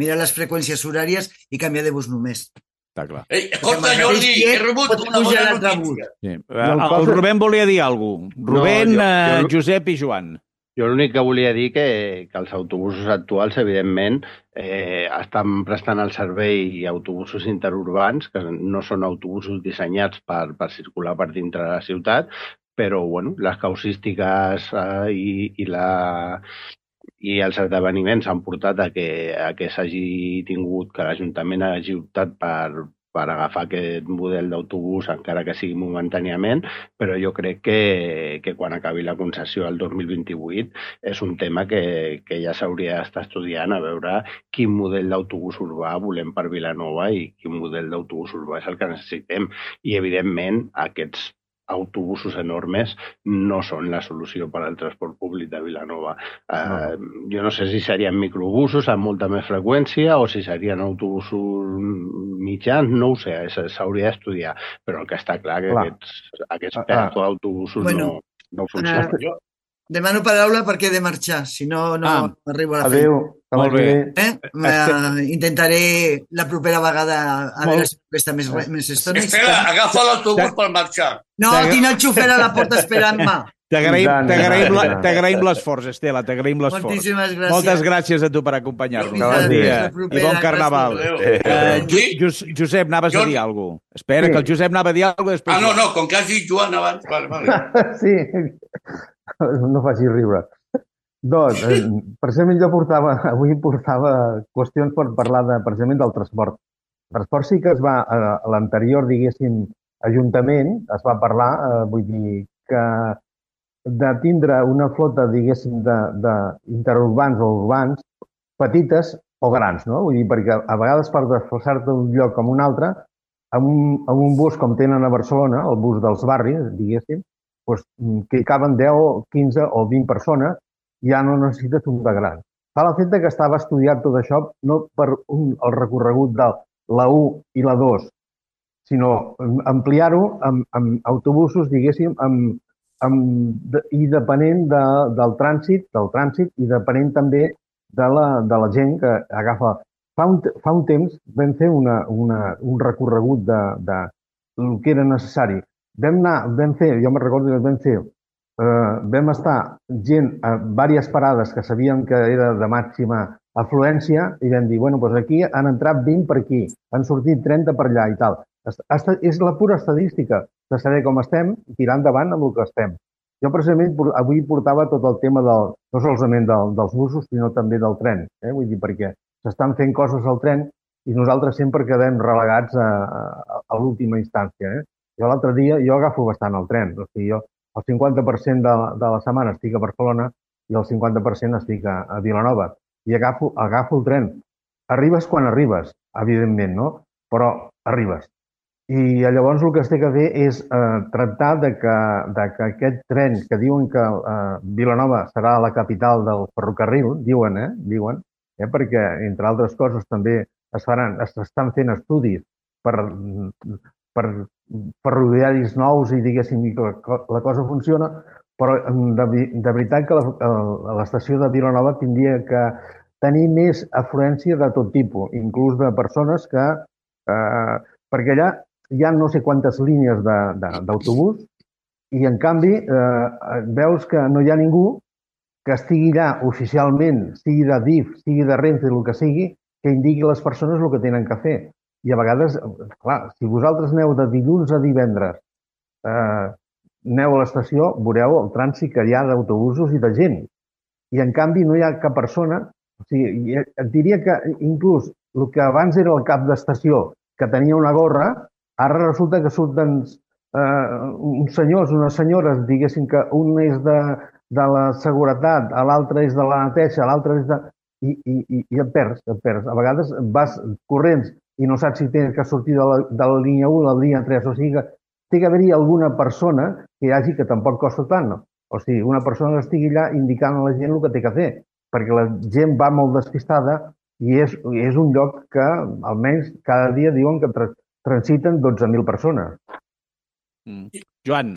Mira les freqüències horàries i canviar de bus només. Està clar. Escolta, Jordi, he rebut una bona notícia. El Rubén volia dir alguna cosa. Rubén, Josep i Joan. Jo l'únic que volia dir que els autobusos actuals, evidentment, estan prestant el servei autobusos interurbans, que no són autobusos dissenyats per circular per dintre de la ciutat, però les causístiques i i els esdeveniments han portat a que s'hagi tingut, que l'Ajuntament hagi optat per agafar aquest model d'autobús, encara que sigui momentàniament, però jo crec que quan acabi la concessió el 2028 és un tema que ja s'hauria d'estar estudiant, a veure quin model d'autobús urbà volem per Vilanova i quin model d'autobús urbà és el que necessitem. I, evidentment, aquests autobusos enormes no són la solució per al transport públic de Vilanova. Jo no sé si serien microbusos amb molta més freqüència o si serien autobusos mitjans, no ho sé, s'hauria d'estudiar, però el que està clar que aquests pedazos d'autobusos no funcionen. Demano paraula perquè he de marxar, si no arribo a la feina. Molt bé. Intentaré la propera vegada a veure si està més estona. Estela, agafa l'autobús per marxar. No, tinc el xofer a la porta esperant-me. T'agraïm l'esforç, Estela, t'agraïm l'esforç. Moltíssimes gràcies. Moltes gràcies a tu per acompanyar-nos. Bon dia i bon carnaval. Josep, anaves a dir alguna cosa? Espera, que el Josep anava a dir alguna cosa. No, com que has dit Joan abans. Vale. Sí, no facis riure. Doncs, precisament jo avui portava qüestions per parlar precisament del transport. El transport sí que es va, a l'anterior, diguéssim, Ajuntament, es va parlar, vull dir, que de tindre una flota, diguéssim, d'interurbans o urbans, petites o grans, no? Vull dir, perquè a vegades per desplaçar-te d'un lloc com un altre, amb un bus com tenen a Barcelona, el bus dels barris, diguéssim, doncs, que hi caben 10, 15 o 20 persones, ja no necessites un de gran. Fa l'efecte que estava estudiat tot això no per el recorregut de la 1 i la 2, sinó ampliar-ho amb autobusos, diguéssim, i depenent del trànsit i depenent també de la gent que agafa. Fa un temps vam fer un recorregut de el que era necessari. Jo me'n recordo que vam estar gent a diverses parades que sabíem que era de màxima afluència i vam dir, bueno, doncs aquí han entrat 20 per aquí, han sortit 30 per allà i tal. És la pura estadística de saber com estem i tirar endavant amb el que estem. Jo precisament avui portava tot el tema no solament dels busos, sinó també del tren. Vull dir, perquè s'estan fent coses al tren i nosaltres sempre quedem relegats a l'última instància. Jo l'altre dia, jo agafo bastant el tren. O sigui, jo el 50% de la setmana estic a Barcelona i el 50% estic a Vilanova. I agafo el tren. Arribes quan arribes, evidentment, no? Però arribes. I llavors el que es té que fer és tractar que aquest tren que diuen que Vilanova serà la capital del ferrocarril, diuen, perquè, entre altres coses, també s'estan fent estudis per ferroviaris nous i, diguéssim, que la cosa funciona, però de veritat que l'estació de Vilanova tindria que tenir més afluència de tot tipus, inclús de persones que... Perquè allà hi ha no sé quantes línies d'autobús i, en canvi, veus que no hi ha ningú que estigui allà oficialment, sigui de DIF, sigui de Renfe, el que sigui, que indiqui a les persones el que tenen que fer. I a vegades, clar, si vosaltres aneu de dilluns a divendres, aneu a l'estació, veureu el trànsit que hi ha d'autobusos i de gent. I, en canvi, no hi ha cap persona... O sigui, et diria que inclús el que abans era el cap d'estació, que tenia una gorra, ara resulta que surten uns senyors, unes senyores, diguéssim que un és de la seguretat, l'altre és de la neteja, l'altre és de... I et perds. A vegades vas corrents i no saps si tens que sortir de la línia 1 a la línia 3. O sigui que té que haver-hi alguna persona que hi hagi, que tampoc costa tant, no? O sigui, una persona que estigui allà indicant a la gent el que té que fer, perquè la gent va molt despistada i és un lloc que almenys cada dia diuen que transiten 12.000 persones. Joan.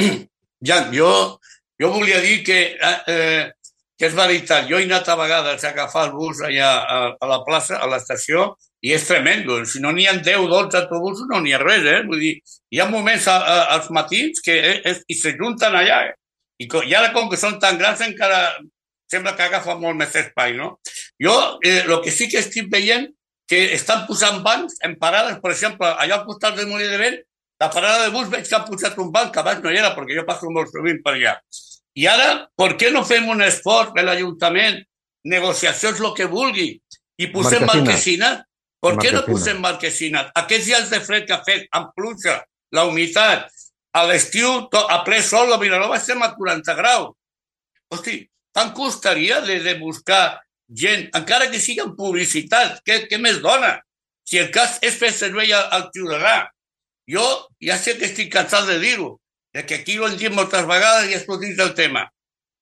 Jan, jo volia dir que és veritat. Jo he anat a vegades a agafar el bus allà a la plaça, a l'estació, i és tremendo. Si no n'hi ha 10 o 12 autobusos, no n'hi ha res, Vull dir, hi ha moments als matins que s'ajunten allà, I ara, com que són tan grans, encara sembla que agafa molt més espai, no? Jo, el que sí que estic veient, que estan posant bancs en parades, per exemple, allà al costat del Molí de Vent, la parada de bus veig que han posat un banc, que abans no hi era, perquè jo passo molt sovint per allà. I ara, per què no fem un esforç de l'Ajuntament negociacions, el que vulgui, i posem marquesines. Per què no posem marquesines? Aquests dies de fred que ha fet, amb pluja, la humitat, a l'estiu, a ple sol, a Vilanova estem a 40 graus. Hosti, tant costaria de buscar gent, encara que sigui en publicitat, què més dona? Si el cas és fer servei al ciutadà. Jo ja sé que estic cansat de dir-ho, que aquí ho hem dit moltes vegades i és dins del tema.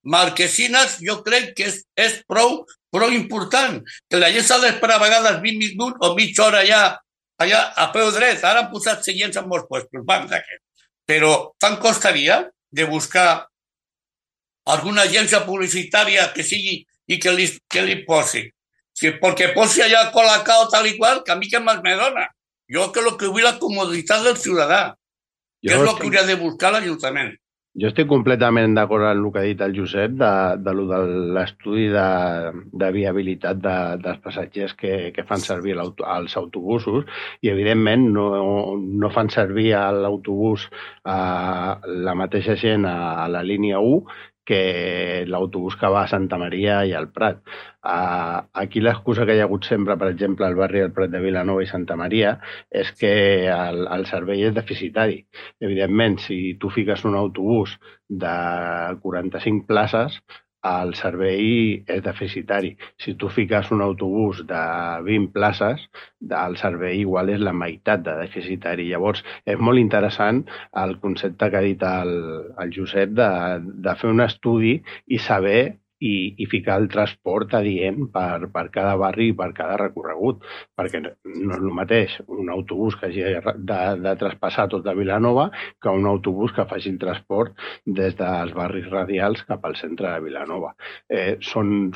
Marquesines jo crec que és prou important, que la gent s'ha d'esperar a vegades 20 minuts o mitja hora allà a peu dret. Ara han posat seients en molts puestos, però tant costaria de buscar alguna agència publicitària que sigui i que li posi. Perquè posi allà Colacao tal i qual, que a mi què més me dona. Jo que vull la comoditat del ciutadà, que és el que hauria de buscar l'Ajuntament. Jo estic completament d'acord amb el que ha dit el Josep de l'estudi de viabilitat dels passatgers que fan servir els autobusos i, evidentment, no fan servir l'autobús la mateixa gent a la línia 1 que l'autobús que va a Santa Maria i al Prat. Aquí l'excusa que hi ha hagut sempre, per exemple, al barri del Prat de Vilanova i Santa Maria, és que el servei és deficitari. Evidentment, si tu fiques un autobús de 45 places, el servei és deficitari. Si tu fiques un autobús de 20 places, el servei igual és la meitat de deficitari. Llavors, és molt interessant el concepte que ha dit el Josep de fer un estudi i saber i ficar el transport adient per cada barri i per cada recorregut, perquè no és el mateix un autobús que hagi de traspassar tota Vilanova que un autobús que faci el transport des dels barris radials cap al centre de Vilanova. Són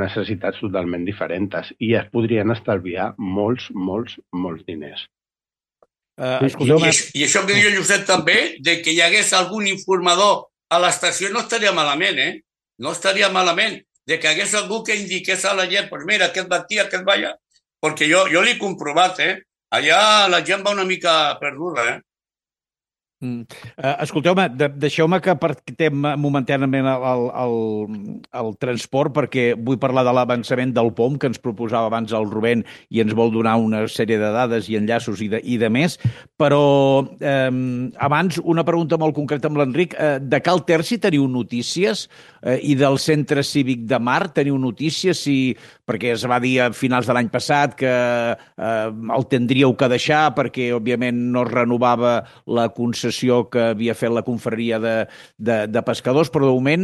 necessitats totalment diferents i es podrien estalviar molts diners. I això que diu el Josep també, de que hi hagués algun informador a l'estació, no estaria malament, No estaria malament de que hagués algú que indiqués a la gent, pues mira, aquest va aquí, aquest va allà, perquè jo l'he comprovat, allà la gent va una mica perduda, Escolteu-me, deixeu-me que apartem momentàniament el transport perquè vull parlar de l'avançament del POM que ens proposava abans el Rubén i ens vol donar una sèrie de dades i enllaços i de més, però abans una pregunta molt concreta amb l'Enric. De Cal Terci teniu notícies i del Centre Cívic de Mar teniu notícies? Perquè es va dir a finals de l'any passat que el tindríeu que deixar perquè, òbviament, no es renovava la concessió que havia fet la confraria de pescadors, però de moment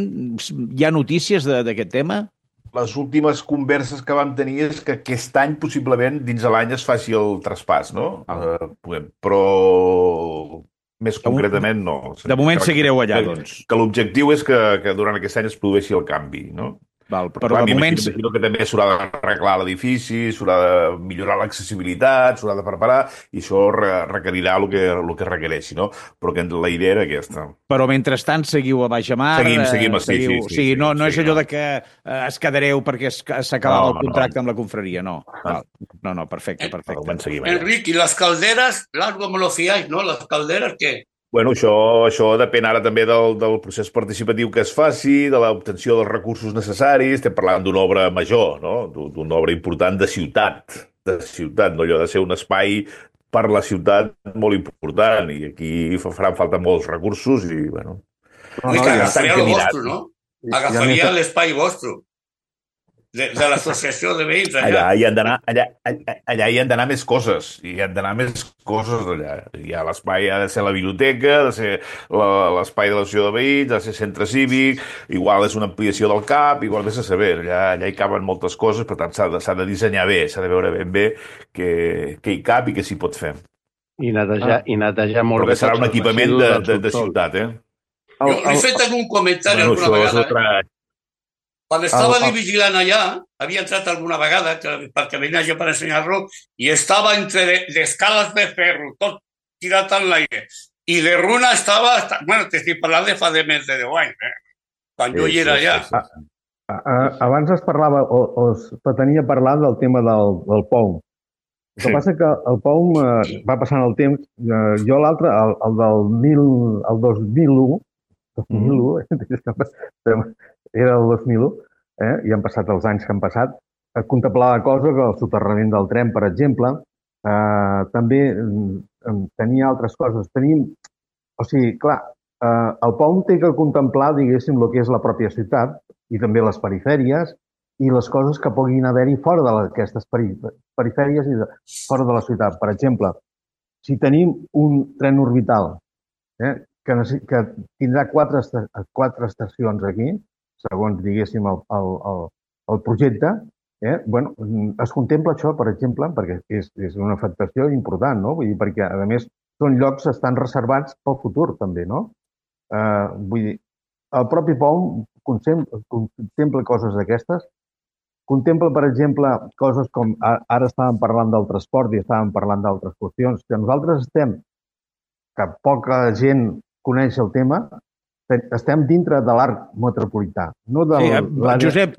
hi ha notícies d'aquest tema? Les últimes converses que vam tenir és que aquest any possiblement dins de l'any es faci el traspàs, no? Però més concretament no. De moment seguireu allà, doncs. Que l'objectiu és que durant aquest any es produeixi el canvi, no? Val, però de moment... Imagino que també s'haurà d'arreglar l'edifici, s'haurà de millorar l'accessibilitat, s'haurà de preparar, i això requerirà el que requereixi, no? Però que la idea era aquesta. Però mentrestant seguiu a Baixamar? Seguim, sí. No és allò de que es quedareu perquè s'acabava el contracte amb la confraria, no. No, perfecte. Enric, i les calderes, largo me lo fiáis, no? Les calderes, què? Bueno, això depèn ara també del procés participatiu que es faci, de l'obtenció dels recursos necessaris. Estem parlant d'una obra major, no? D'una obra important de ciutat, no allò de ser un espai per la ciutat molt important, i aquí faran falta molts recursos i, bueno... Agafaria el vostre, no? Agafaria l'espai vostre. De l'associació de veïns allà. Allà hi han d'anar més coses. Allà. L'espai ha de ser la biblioteca, ha de ser l'espai de l'associació de veïns, ha de ser centre cívic, igual és una ampliació del CAP, igual vés a saber. Allà hi caben moltes coses, per tant s'ha de dissenyar bé, s'ha de veure ben bé què hi cap i què s'hi pot fer. I netejar molt bé. Però que serà un equipament de ciutat, Jo he fet algun comentari alguna vegada. Quan estava vigilant allà, havia entrat alguna vegada perquè venia jo per ensenyar-lo i estava entre escales de ferro, tot tirat en l'aire. I de runa estava... Bueno, t'estic parlant de fa més de 10 anys, quan jo hi era allà. Abans es parlava, o es pretenia parlar del tema del POM. El que passa que el POM va passant el temps. Jo l'altre, el 2001, era el 2001, i han passat els anys que han passat, contemplava coses, que el soterrament del tren, per exemple, també tenia altres coses. O sigui, clar, el POM té que contemplar, diguéssim, el que és la pròpia ciutat i també les perifèries i les coses que puguin haver-hi fora d'aquestes perifèries i fora de la ciutat. Per exemple, si tenim un tren orbital que tindrà quatre estacions aquí, segons, diguéssim, el projecte, es contempla això, per exemple, perquè és una afectació important, no? Vull dir, perquè, a més, són llocs que estan reservats pel futur, també, no? Vull dir, el propi POM contempla coses d'aquestes, contempla, per exemple, coses com, ara estàvem parlant del transport i estàvem parlant d'altres qüestions, que nosaltres que poca gent coneix el tema, estem dintre de l'arc metropolità, no de l'àrea...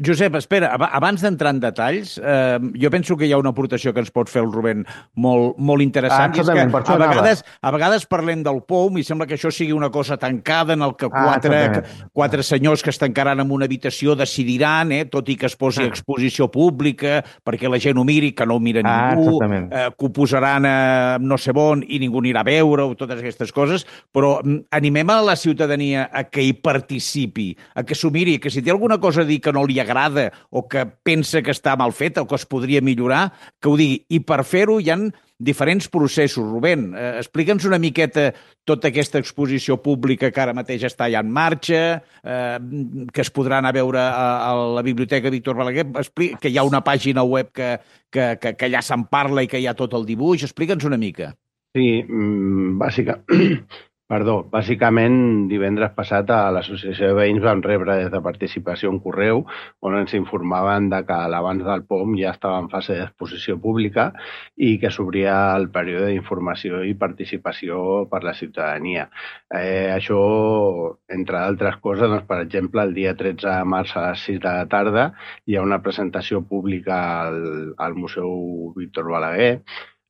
Josep, espera, abans d'entrar en detalls, jo penso que hi ha una aportació que ens pot fer el Rubén molt interessant, i és que a vegades parlem del POM i sembla que això sigui una cosa tancada en el que quatre senyors que es tancaran en una habitació decidiran, tot i que es posi a exposició pública, perquè la gent ho miri, que no ho mira ningú, que ho posaran a no sé on i ningú anirà a veure, totes aquestes coses, però animem a la ciutadania a que hi participi, a que s'ho miri, que si té alguna cosa a dir que no li agrada o que pensa que està mal feta o que es podria millorar, que ho digui. I per fer-ho hi ha diferents processos. Rubén, explica'ns una miqueta tota aquesta exposició pública que ara mateix està ja en marxa, que es podrà anar a veure a la Biblioteca Víctor Balaguer, que hi ha una pàgina web que allà se'n parla i que hi ha tot el dibuix. Explica'ns una mica. Sí, bàsicament, divendres passat a l'Associació de Veïns vam rebre des de Participació un correu on ens informaven de que l'abans del POM ja estava en fase d'exposició pública i que s'obria el període d'informació i participació per la ciutadania. Això, entre altres coses, doncs, per exemple, el dia 13 de març a les 6 de la tarda hi ha una presentació pública al Museu Víctor Balaguer.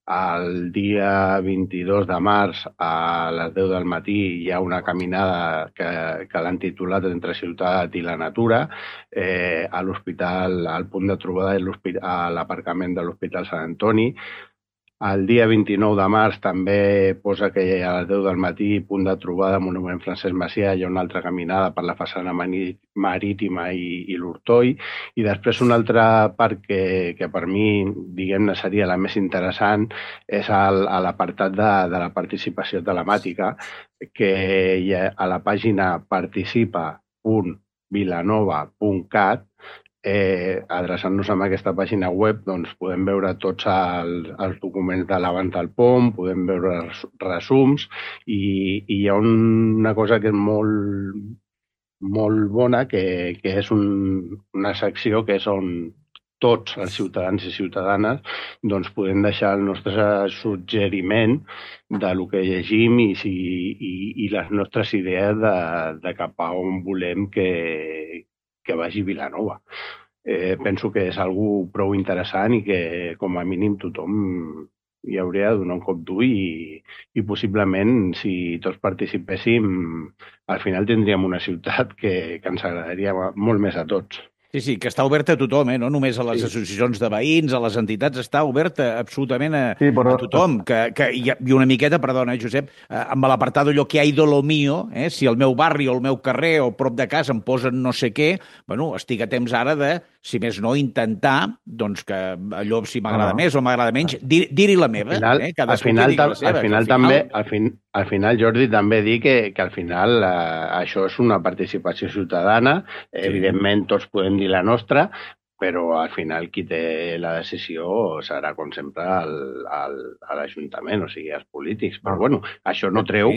El dia 22 de març a les 10 del matí hi ha una caminada que l'han titulat Entre ciutat i la natura a l'hospital, al punt de trobada a l'aparcament de l'Hospital Sant Antoni. El dia 29 de març també posa que a les 10 del matí, punt de trobada, Monument Francesc Macià, hi ha una altra caminada per la façana marítima i l'Hortoi. I després una altra part que per mi, diguem-ne, seria la més interessant és a l'apartat de la participació telemàtica, que a la pàgina participa.vilanova.cat, adreçant-nos a aquesta pàgina web, doncs podem veure tots els documents de l'abans del POM, podem veure resums i hi ha una cosa que és molt bona, que és una secció que és on tots els ciutadans i ciutadanes doncs podem deixar el nostre suggeriment de lo que llegim i les nostres idees de cap a on volem que vagi Vilanova. Penso que és algo prou interessant i que, com a mínim, tothom hi hauria de donar un cop d'ull i possiblement, si tots participéssim, al final tindríem una ciutat que ens agradaria molt més a tots. Sí, que està oberta a tothom, no només a les associacions de veïns, a les entitats, està oberta absolutament a tothom. I una miqueta, perdona, Josep, amb l'apartat allò que ha ido lo mío, si al meu barri o al meu carrer o prop de casa em posen no sé què, estic a temps ara de, si més no, intentar doncs que allò si m'agrada més o m'agrada menys, dir-hi la meva. Al final, Jordi, també dir que al final això és una participació ciutadana, evidentment tots podem dir la nostra, però al final qui té la decisió serà, com sempre, l'Ajuntament, o sigui, els polítics. Però, bueno, això no treu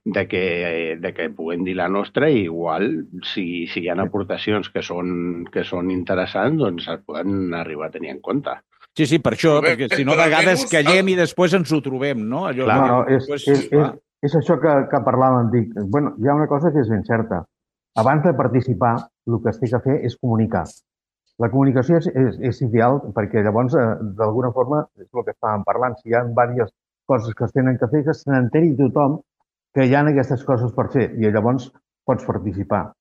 de que puguem dir la nostra i igual, si hi ha aportacions que són interessants, doncs es poden arribar a tenir en compte. Sí, per això, perquè si no, a vegades callem i després ens ho trobem, no? És això que parlàvem, dic. Bueno, hi ha una cosa que és ben certa. Abans de participar, el que es té que fer és comunicar. La comunicació és ideal perquè llavors, d'alguna forma, és el que estàvem parlant, si hi ha diverses coses que es tenen que fer, que se n'enteri tothom que hi ha aquestes coses per fer i llavors pots participar.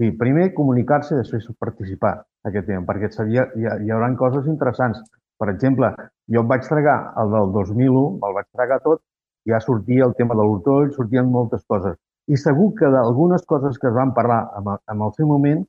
Sí, primer comunicar-se i després participar aquest tema, perquè hi haurà coses interessants. Per exemple, jo em vaig tragar el del 2001, me'l vaig tragar tot, ja sortia el tema de l'ortoll, sortien moltes coses. I segur que d'algunes coses que es van parlar en el seu moment,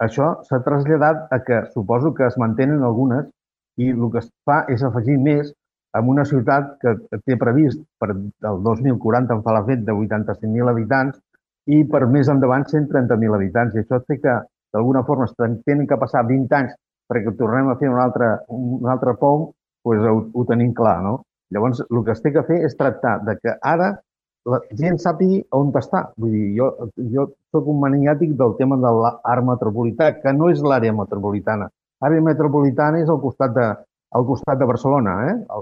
això s'ha traslladat a que suposo que es mantenen algunes i el que es fa és afegir més en una ciutat que té previst per el 2040 en fa la fet de 85.000 habitants i per més endavant 130.000 habitants. I això té que, d'alguna forma, tenen que passar 20 anys perquè tornem a fer un altre POM, doncs ho tenim clar, no? Llavors, el que es té que fer és tractar de que ara la gent sàpigui on està. Vull dir, jo soc un maniàtic del tema de l'art metropolità, que no és l'àrea metropolitana. L'àrea metropolitana és al costat de Barcelona,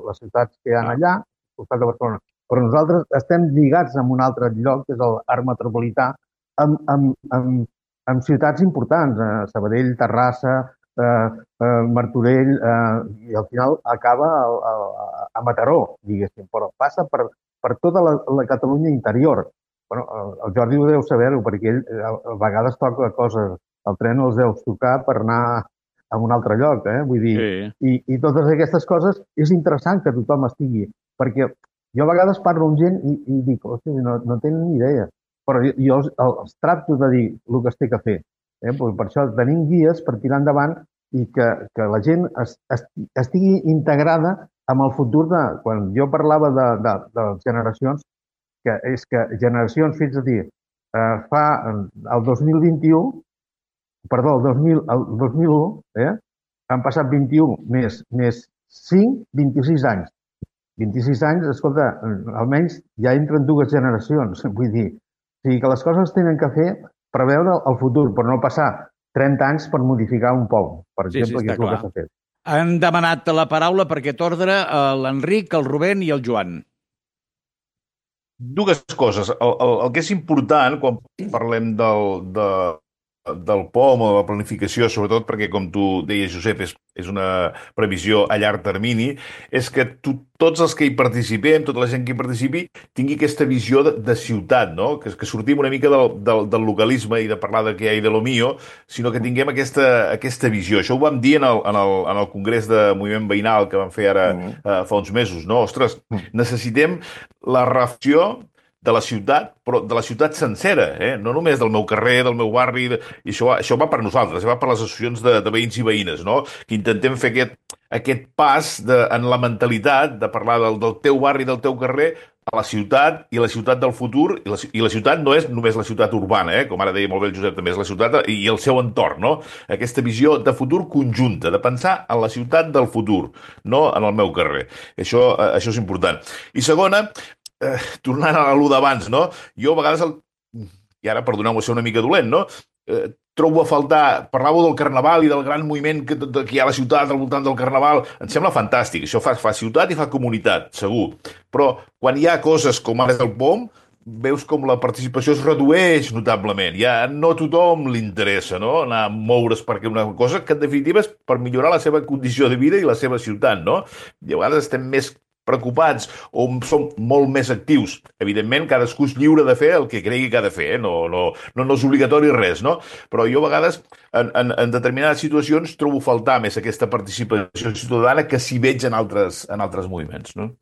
les ciutats que hi ha allà, al costat de Barcelona. Però nosaltres estem lligats amb un altre lloc, que és l'art metropolità, amb ciutats importants, Sabadell, Terrassa, Martorell, i al final acaba a Mataró, diguéssim, però passa per tota la Catalunya interior. Bueno, el Jordi ho deu saber-ho, perquè ell a vegades toca coses, el tren els deus tocar per anar a un altre lloc, vull dir, i totes aquestes coses és interessant que tothom estigui, perquè jo a vegades parlo amb gent i dic, hòstia, no tenen ni idea, però jo els tracto de dir el que es té que fer. Per això tenim guies per tirar endavant i que la gent estigui integrada amb el futur de... Quan jo parlava de generacions, que és que generacions, fins a dir, fa el 2021, perdó, el 2001, han passat 21 més 5, 26 anys. 26 anys, escolta, almenys ja entren dues generacions. Vull dir, o sigui que les coses tenen que fer preveure el futur, però no passar 30 anys per modificar un POM, per exemple, que és el que s'ha fet. Han demanat la paraula per aquest ordre l'Enric, el Rubén i el Joan. Dues coses. El que és important quan parlem del POM o de la planificació, sobretot perquè, com tu deies, Josep, és una previsió a llarg termini, és que tots els que hi participem, tota la gent que hi participi, tingui aquesta visió de ciutat, no? Que sortim una mica del localisme i de parlar de què hi ha de lo mío, sinó que tinguem aquesta visió. Això ho vam dir en el Congrés de Moviment Veïnal que vam fer ara fa uns mesos, no? Ostres, necessitem la reflexió de la ciutat, però de la ciutat sencera, no només del meu carrer, del meu barri, i això va per nosaltres, va per les associacions de veïns i veïnes, no? Que intentem fer aquest pas en la mentalitat de parlar del teu barri, del teu carrer, a la ciutat i la ciutat del futur, i la ciutat no és només la ciutat urbana, com ara deia molt bé el Josep, també és la ciutat i el seu entorn, no? Aquesta visió de futur conjunta, de pensar en la ciutat del futur, no en el meu carrer. Això és important. I segona, tornant a l'allò d'abans, no? Jo a vegades, i ara perdoneu-me ser una mica dolent, no? Trobo a faltar, parlàveu del carnaval i del gran moviment que hi ha a la ciutat al voltant del carnaval, em sembla fantàstic, això fa ciutat i fa comunitat, segur, però quan hi ha coses com ara el POM, veus com la participació es redueix notablement, ja no a tothom li interessa, no? Anar a moure's perquè una cosa que en definitiva és per millorar la seva condició de vida i la seva ciutat, no? I a vegades estem més preocupats o som molt més actius. Evidentment, cadascú és lliure de fer el que cregui que ha de fer, no és obligatori res, no? Però jo a vegades, en determinades situacions, trobo faltar més aquesta participació ciutadana que s'hi veig en altres moviments, no?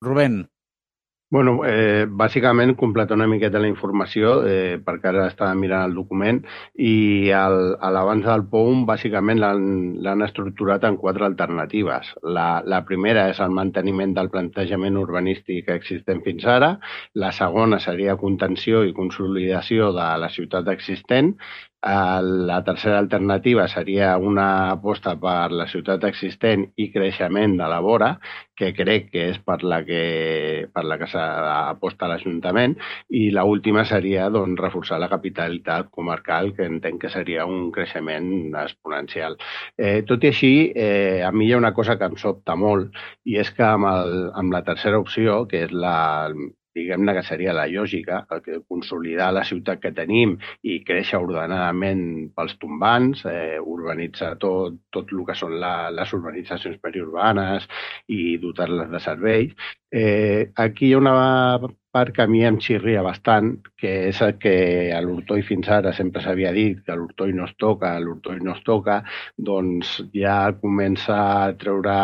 Rubén. Bueno, bàsicament completar una miqueta la informació, perquè ara estava mirant el document, i l'abans del POUM bàsicament l'han estructurat en 4 alternatives. La primera és el manteniment del plantejament urbanístic existent fins ara, la segona seria contenció i consolidació de la ciutat existent, la tercera alternativa seria una aposta per la ciutat existent i creixement de la vora, que crec que és per la que s'aposta l'Ajuntament, i l'última seria reforçar la capitalitat comarcal, que entenc que seria un creixement exponencial. Tot i així, a mi hi ha una cosa que em sobta molt, i és que amb la tercera opció, que és diguem-ne que seria la lògica, consolidar la ciutat que tenim i créixer ordenadament pels tombants, urbanitzar tot el que són les urbanitzacions periurbanes i dotar-les de serveis. Aquí hi ha una part que a mi em xirria bastant, que és el que a l'Hortoi fins ara sempre s'havia dit, que l'Hortoi no es toca, doncs ja comença a treure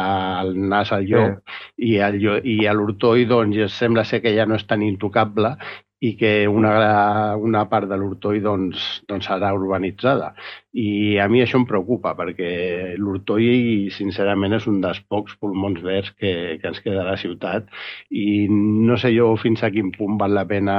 el nas al llop i a l'Hortoi doncs sembla ser que ja no és tan intocable i que una part de l'Hortoi doncs serà urbanitzada. I a mi això em preocupa, perquè l'Hortoi, sincerament, és un dels pocs pulmons verds que ens queda a la ciutat i no sé jo fins a quin punt val la pena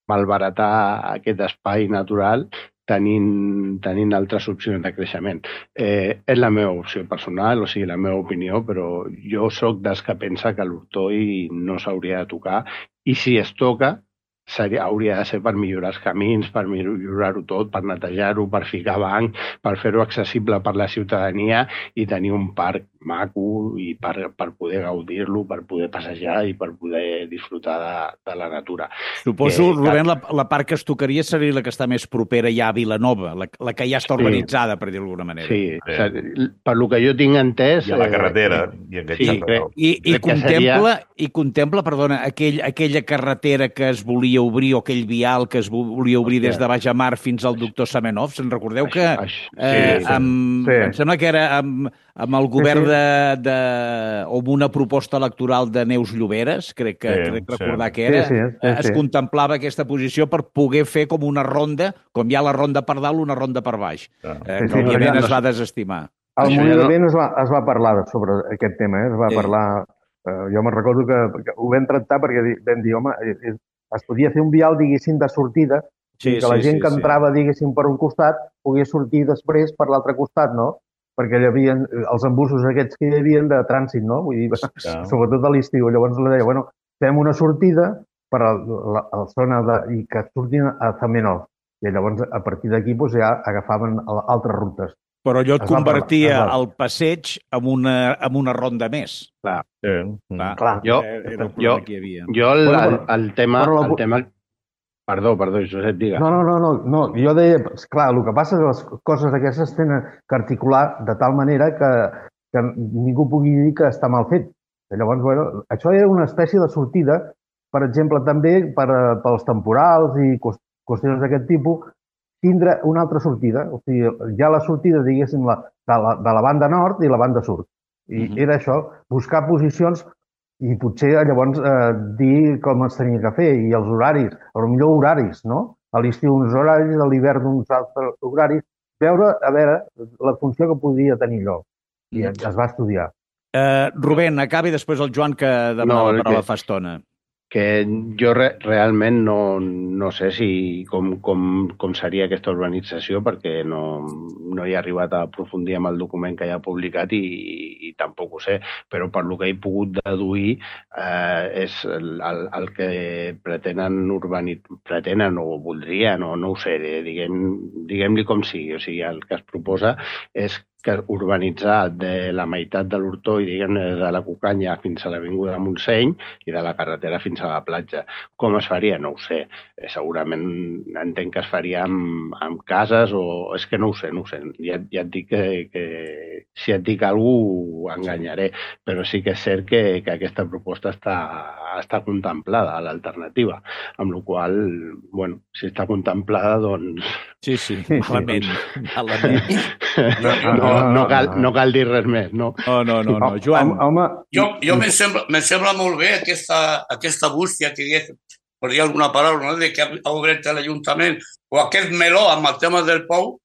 malbaratar aquest espai natural tenint altres opcions de creixement. És la meva opció personal, o sigui, la meva opinió, però jo sóc dels que pensa que l'Hortoi no s'hauria de tocar i si es toca hauria de ser per millorar els camins, per millorar-ho tot, per netejar-ho, per ficar banc, per fer-ho accessible per la ciutadania i tenir un parc maco i per poder gaudir-lo, per poder passejar i per poder disfrutar de la natura. Suposo, Rubén, la part que es tocaria seria la que està més propera ja a Vilanova, la que ja està urbanitzada, per dir-ho d'alguna manera. Sí, per lo que jo tinc entès... I a la carretera. I contempla, perdona, aquella carretera que es volia obrir, o aquell vial que es volia obrir des de Baix a Mar fins al doctor Semenov. Se'n recordeu que em sembla que era amb el govern o amb una proposta electoral de Neus Lloberes, crec recordar que era, es contemplava aquesta posició per poder fer com una ronda, com hi ha la ronda per dalt, una ronda per baix, que òbviament es va desestimar. Al Mollament es va parlar sobre aquest tema, es va parlar... Jo me'n recordo que ho vam tractar perquè vam dir, home, es podia fer un vial, diguéssim, de sortida, que la gent que entrava, diguéssim, per un costat, pogués sortir després per l'altre costat, no? Perquè hi havia els embussos aquests que hi havia de trànsit, no? Vull dir, sobretot a l'estiu. Llavors la deia, bueno, fem una sortida per a la zona i que surtin a Zamenhof. I llavors, a partir d'aquí, ja agafaven altres rutes. Però allò et convertia el passeig en una ronda més. Clar. Clar. Jo el tema... Perdó, Josep, digue. No. Jo deia, clar, el que passa és que les coses aquestes tenen que articular de tal manera que ningú pugui dir que està mal fet. Llavors, bueno, això era una espècie de sortida, per exemple, també pels temporals i qüestions d'aquest tipus, tindre una altra sortida. O sigui, hi ha la sortida, diguéssim, de la banda nord i la banda sud. I era això, buscar posicions i potser llavors dir com es tenia que fer i els horaris, potser horaris, no? A l'estiu uns horaris, a l'hivern uns altres horaris, veure la funció que podia tenir allò. I es va estudiar. Rubén, acabi després el Joan que demanava la paraula fa estona. Que jo realment no sé com seria aquesta urbanització perquè no he arribat a aprofundir amb el document que hi ha publicat i tampoc ho sé, però per lo que he pogut deduir és el que pretenen o voldrien o no ho sé, diguem-li com sigui. O sigui, el que es proposa és que urbanitzar de la meitat de l'Hortoi, diguem-ne, de la Cucanya fins a l'Avinguda Montseny i de la carretera fins a la platja. Com es faria? No ho sé. Segurament entenc que es faria amb cases o... És que no ho sé. Ja et dic que si et dic alguna cosa enganyaré, però sí que és cert que aquesta proposta està contemplada a l'alternativa, amb la qual cosa, si està contemplada, doncs... Sí, malament. No cal dir res més, no? No. Joan. Jo me sembla molt bé aquesta bústia que digués, per dir alguna paraula, no? De que ha obert l'Ajuntament o aquest meló amb el tema del POU,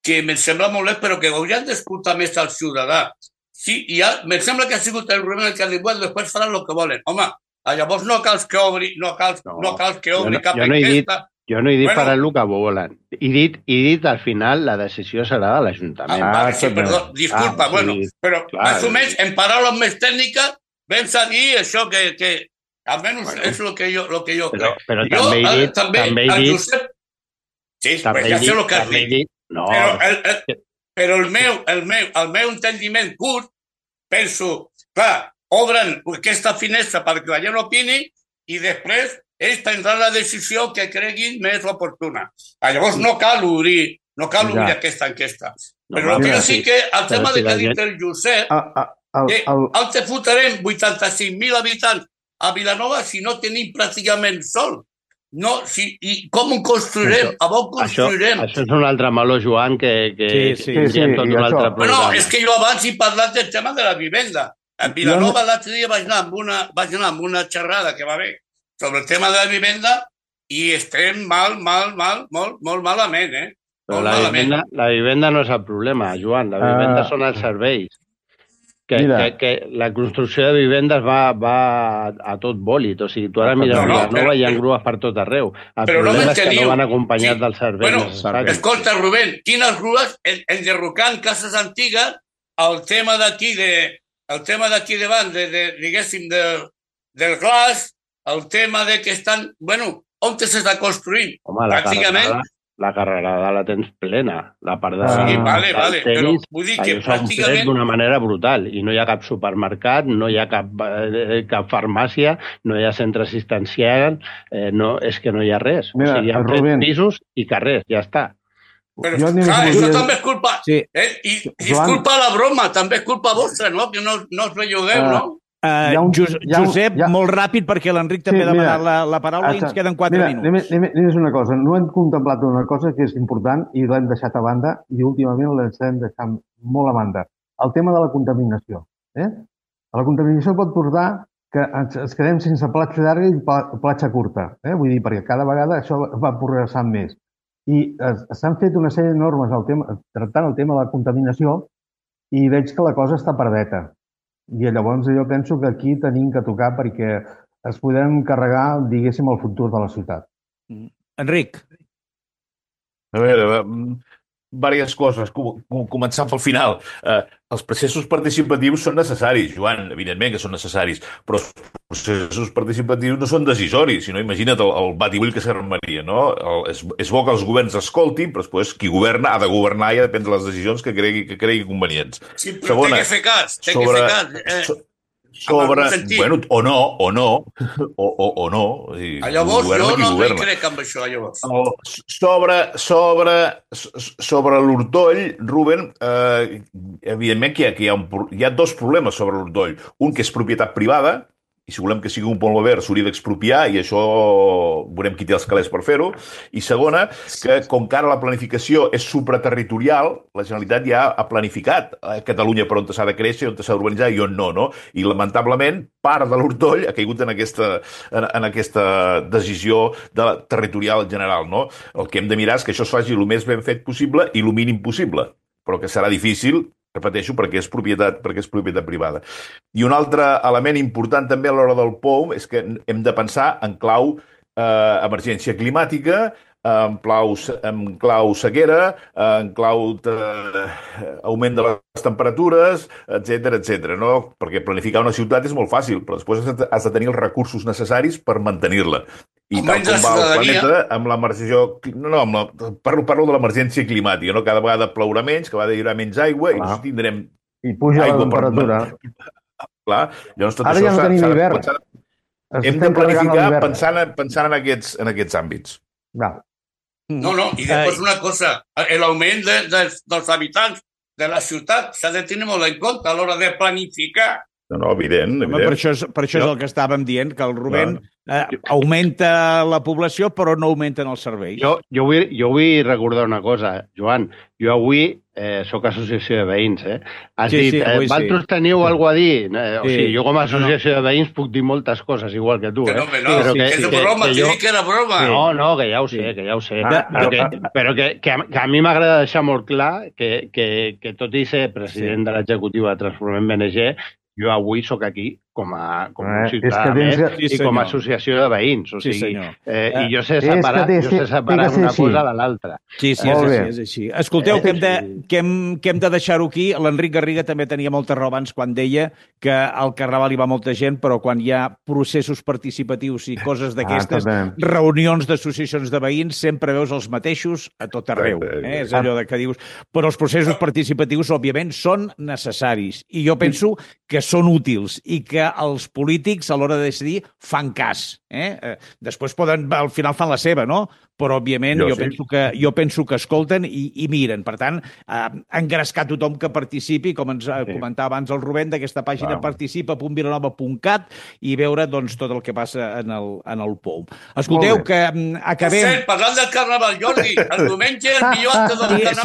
que me sembla molt bé, però que haurien d'escoltar més al ciutadà. Sí, me sembla que ha sigut el Rubén el que ha dit, bueno, després faran el que volen. Home, llavors no cal que obri cap enquesta. Jo no he dit faran el que volen. He dit al final la decisió serà de l'Ajuntament. Sí, perdó, disculpa, però més o menys en paraules més tècniques vam a dir això que almenys és el que jo crec. Però també he dit... Sí, ja sé el que has dit. Però el meu entendiment curt, penso, clar, obren aquesta finestra perquè la gent opini i després ells prendran la decisió que creguin més oportuna. Llavors no cal obrir aquesta enquesta. Però el que sí que el tema de que ha dit el Josep, que els fotrem 85.000 habitants a Vilanova si no tenim pràcticament sol? No, i com ho construirem? A on construirem? Això és un altre meló, Joan, que tindríem tot un altre programa. Bueno, és que jo abans he parlat del tema de la vivenda. A Vilanova l'altre dia vaig anar amb una xerrada que va haver sobre el tema de la vivenda i estem molt malament, eh? Però la vivenda no és el problema, Joan. La vivenda són els serveis. Que la construcció de vivendes va a tot bòlit. O sigui, tu ara mires Vilanova i hi ha grues per tot arreu. El problema és que no van acompanyats dels serveis necessaris. Escolta, Rubén, quines grues enderrocant cases antigues, el tema d'aquí davant, diguéssim, del glaç, el tema de que estan... Bueno, on s'està construint? Home, pràcticament... La carrerada la tens plena. La part de... Sí, vale, però vull dir que pràcticament... d'una manera brutal. I no hi ha cap supermercat, no hi ha cap farmàcia, no hi ha centre assistencial, és que no hi ha res. Mira, o sigui, hi ha Rubén, pisos i carrers, ja està. Però, clar, això també és culpa... Sí. I és culpa la broma, també és culpa vostra, no? Que no us bellugueu, no? Josep, molt ràpid, perquè l'Enric també ha demanat la paraula i ens queden 4 minuts. Digues una cosa, no hem contemplat una cosa que és important i l'hem deixat a banda i últimament l'hem deixat molt a banda. El tema de la contaminació. La contaminació pot portar que ens quedem sense platja llarga i platja curta. Vull dir, perquè cada vegada això va progressant més. I s'han fet una sèrie de normes tractant el tema de la contaminació i veig que la cosa està perdeta. I llavors jo penso que aquí tenim que tocar perquè es podem carregar, diguéssim, el futur de la ciutat. Enric. A veure, diverses coses. Començant pel final. Els processos participatius són necessaris, Joan, evidentment que són necessaris, però els processos participatius no són decisoris, sinó imagina't el batibull que s'armaria, no? És bo que els governs escoltin, però després qui governa ha de governar i ha de prendre les decisions que cregui convenients. Sí, però té que fer cas, bueno, o no. Llavors, jo no hi crec amb això, llavors. Sobre l'Hortoll, Rubén, evidentment que hi ha 2 problemes sobre l'Hortoll. Un que és propietat privada, i si volem que sigui un pont verd s'hauria d'expropiar i això veurem qui té els calés per fer-ho. I segona, que com que ara la planificació és supraterritorial, la Generalitat ja ha planificat a Catalunya per on s'ha de créixer, on s'ha d'urbanitzar i on no? I lamentablement part de l'Hortoll ha caigut en aquesta decisió territorial general, no? El que hem de mirar és que això es faci el més ben fet possible i el mínim possible, però que serà difícil, repeteixo, perquè és propietat privada. I un altre element important també a l'hora del POUM és que hem de pensar en clau emergència climàtica, en clau sequera, en clau augment de les temperatures, etc., no? Perquè planificar una ciutat és molt fàcil, però després has de tenir els recursos necessaris per mantenir-la. I tal com va el planeta, amb l'emergència... Parlo de l'emergència climàtica, no? Cada vegada plourà menys, cada vegada hi haurà menys aigua i no tindrem... I puja la temperatura. Clar, llavors tot ara ja no tenim hivern. Hem de planificar pensant en aquests àmbits. No, i després una cosa, l'augment dels habitants de la ciutat s'ha de tenir molt en compte a l'hora de planificar. No, evident. Per això és el que estàvem dient, que el Rubén augmenta la població però no augmenten els serveis. Jo vull recordar una cosa, Joan. Jo avui soc associació de veïns, Has dit, vosaltres teniu alguna cosa a dir? O sigui, jo com a associació de veïns puc dir moltes coses, igual que tu, No, és broma, t'he dit que era broma. No, que ja ho sé, Però que a mi m'agrada deixar molt clar que tot i ser president de l'executiva de Transformem BNG, jo avui sóc aquí com a ciutadà més i com a associació de veïns. O sigui, i jo sé separar una cosa de l'altra. Sí, és així. Escolteu, que hem de deixar-ho aquí. L'Enric Garriga també tenia molta raó abans quan deia que al Carnaval hi va molta gent, però quan hi ha processos participatius i coses d'aquestes, reunions d'associacions de veïns, sempre veus els mateixos a tot arreu. És allò que dius. Però els processos participatius, òbviament, són necessaris. I jo penso que són útils i que els polítics, a l'hora de decidir, fan cas. Després al final fan la seva, no? Però, òbviament, jo penso que escolten i miren. Per tant, engrescar tothom que participi, com ens comentava abans el Rubén, d'aquesta pàgina participa.vilanova.cat i veure doncs, tot el que passa en el POUM. Escolteu, que acabem... Per parlant del Carnaval, Jordi, el diumenge el millor acte del Carnaval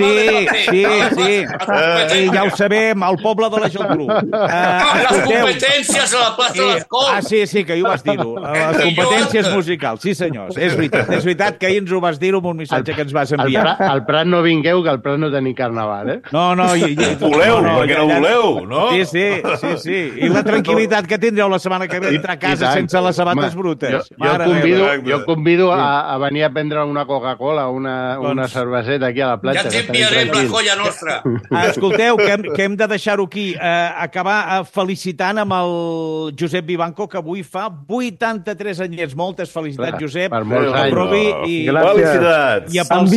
Sí, ja ho sabem, al poble de la Geltrú. Les competències a la plaça de les Corts. Sí, que jo vas dir-ho. Les competències musicals, sí senyors. És veritat que ahir ens ho vas dir-ho amb un missatge que ens vas enviar. Al Prat no vingueu, que al Prat no tenim carnaval, No. Voleu, perquè no voleu, no? Sí. I la tranquil·litat que tindreu la setmana que ve entrar a casa sense les sabates brutes. Jo convido a venir a prendre una Coca-Cola, una cerveseta aquí a la platja. Ja t'enviarem la colla nostra. Escolteu, que hem de deixar-ho aquí. Acabar felicitant amb el Josep Vivanco, que avui fa 83 anyets. Moltes felicitats, Josep. Per molts anys. Felicitats. En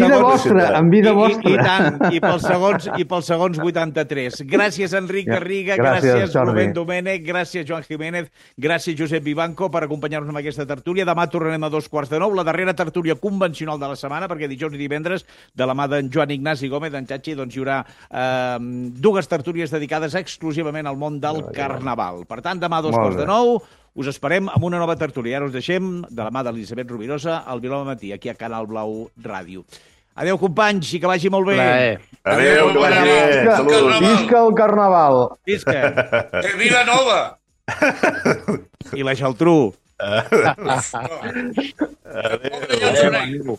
vida vostra. I tant. I pels segons 83. Gràcies, Enric Garriga. Gràcies, Rubén Domènech. Gràcies, Joan Jiménez. Gràcies, Josep Vivanco, per acompanyar-nos en aquesta tertúlia. Demà tornarem a 2:45, la darrera tertúlia convencional de la setmana, perquè dijous i divendres, de la mà d'en Joan Ignasi Gómez, d'en Chachi, doncs hi haurà dues tertúlies dedicades exclusivament al món del Carnaval. Per tant, demà a 2:45, us esperem amb una nova tertúlia. Ara us deixem, de la mà d'Elisabet Rovirosa, al Vilanova Matí, aquí a Canal Blau Ràdio. Adéu, companys, i que vagi molt bé. Adéu, que vagi bé. Saludos. Visca el Carnaval. Visca. Vilanova. I la Geltrú. Adéu.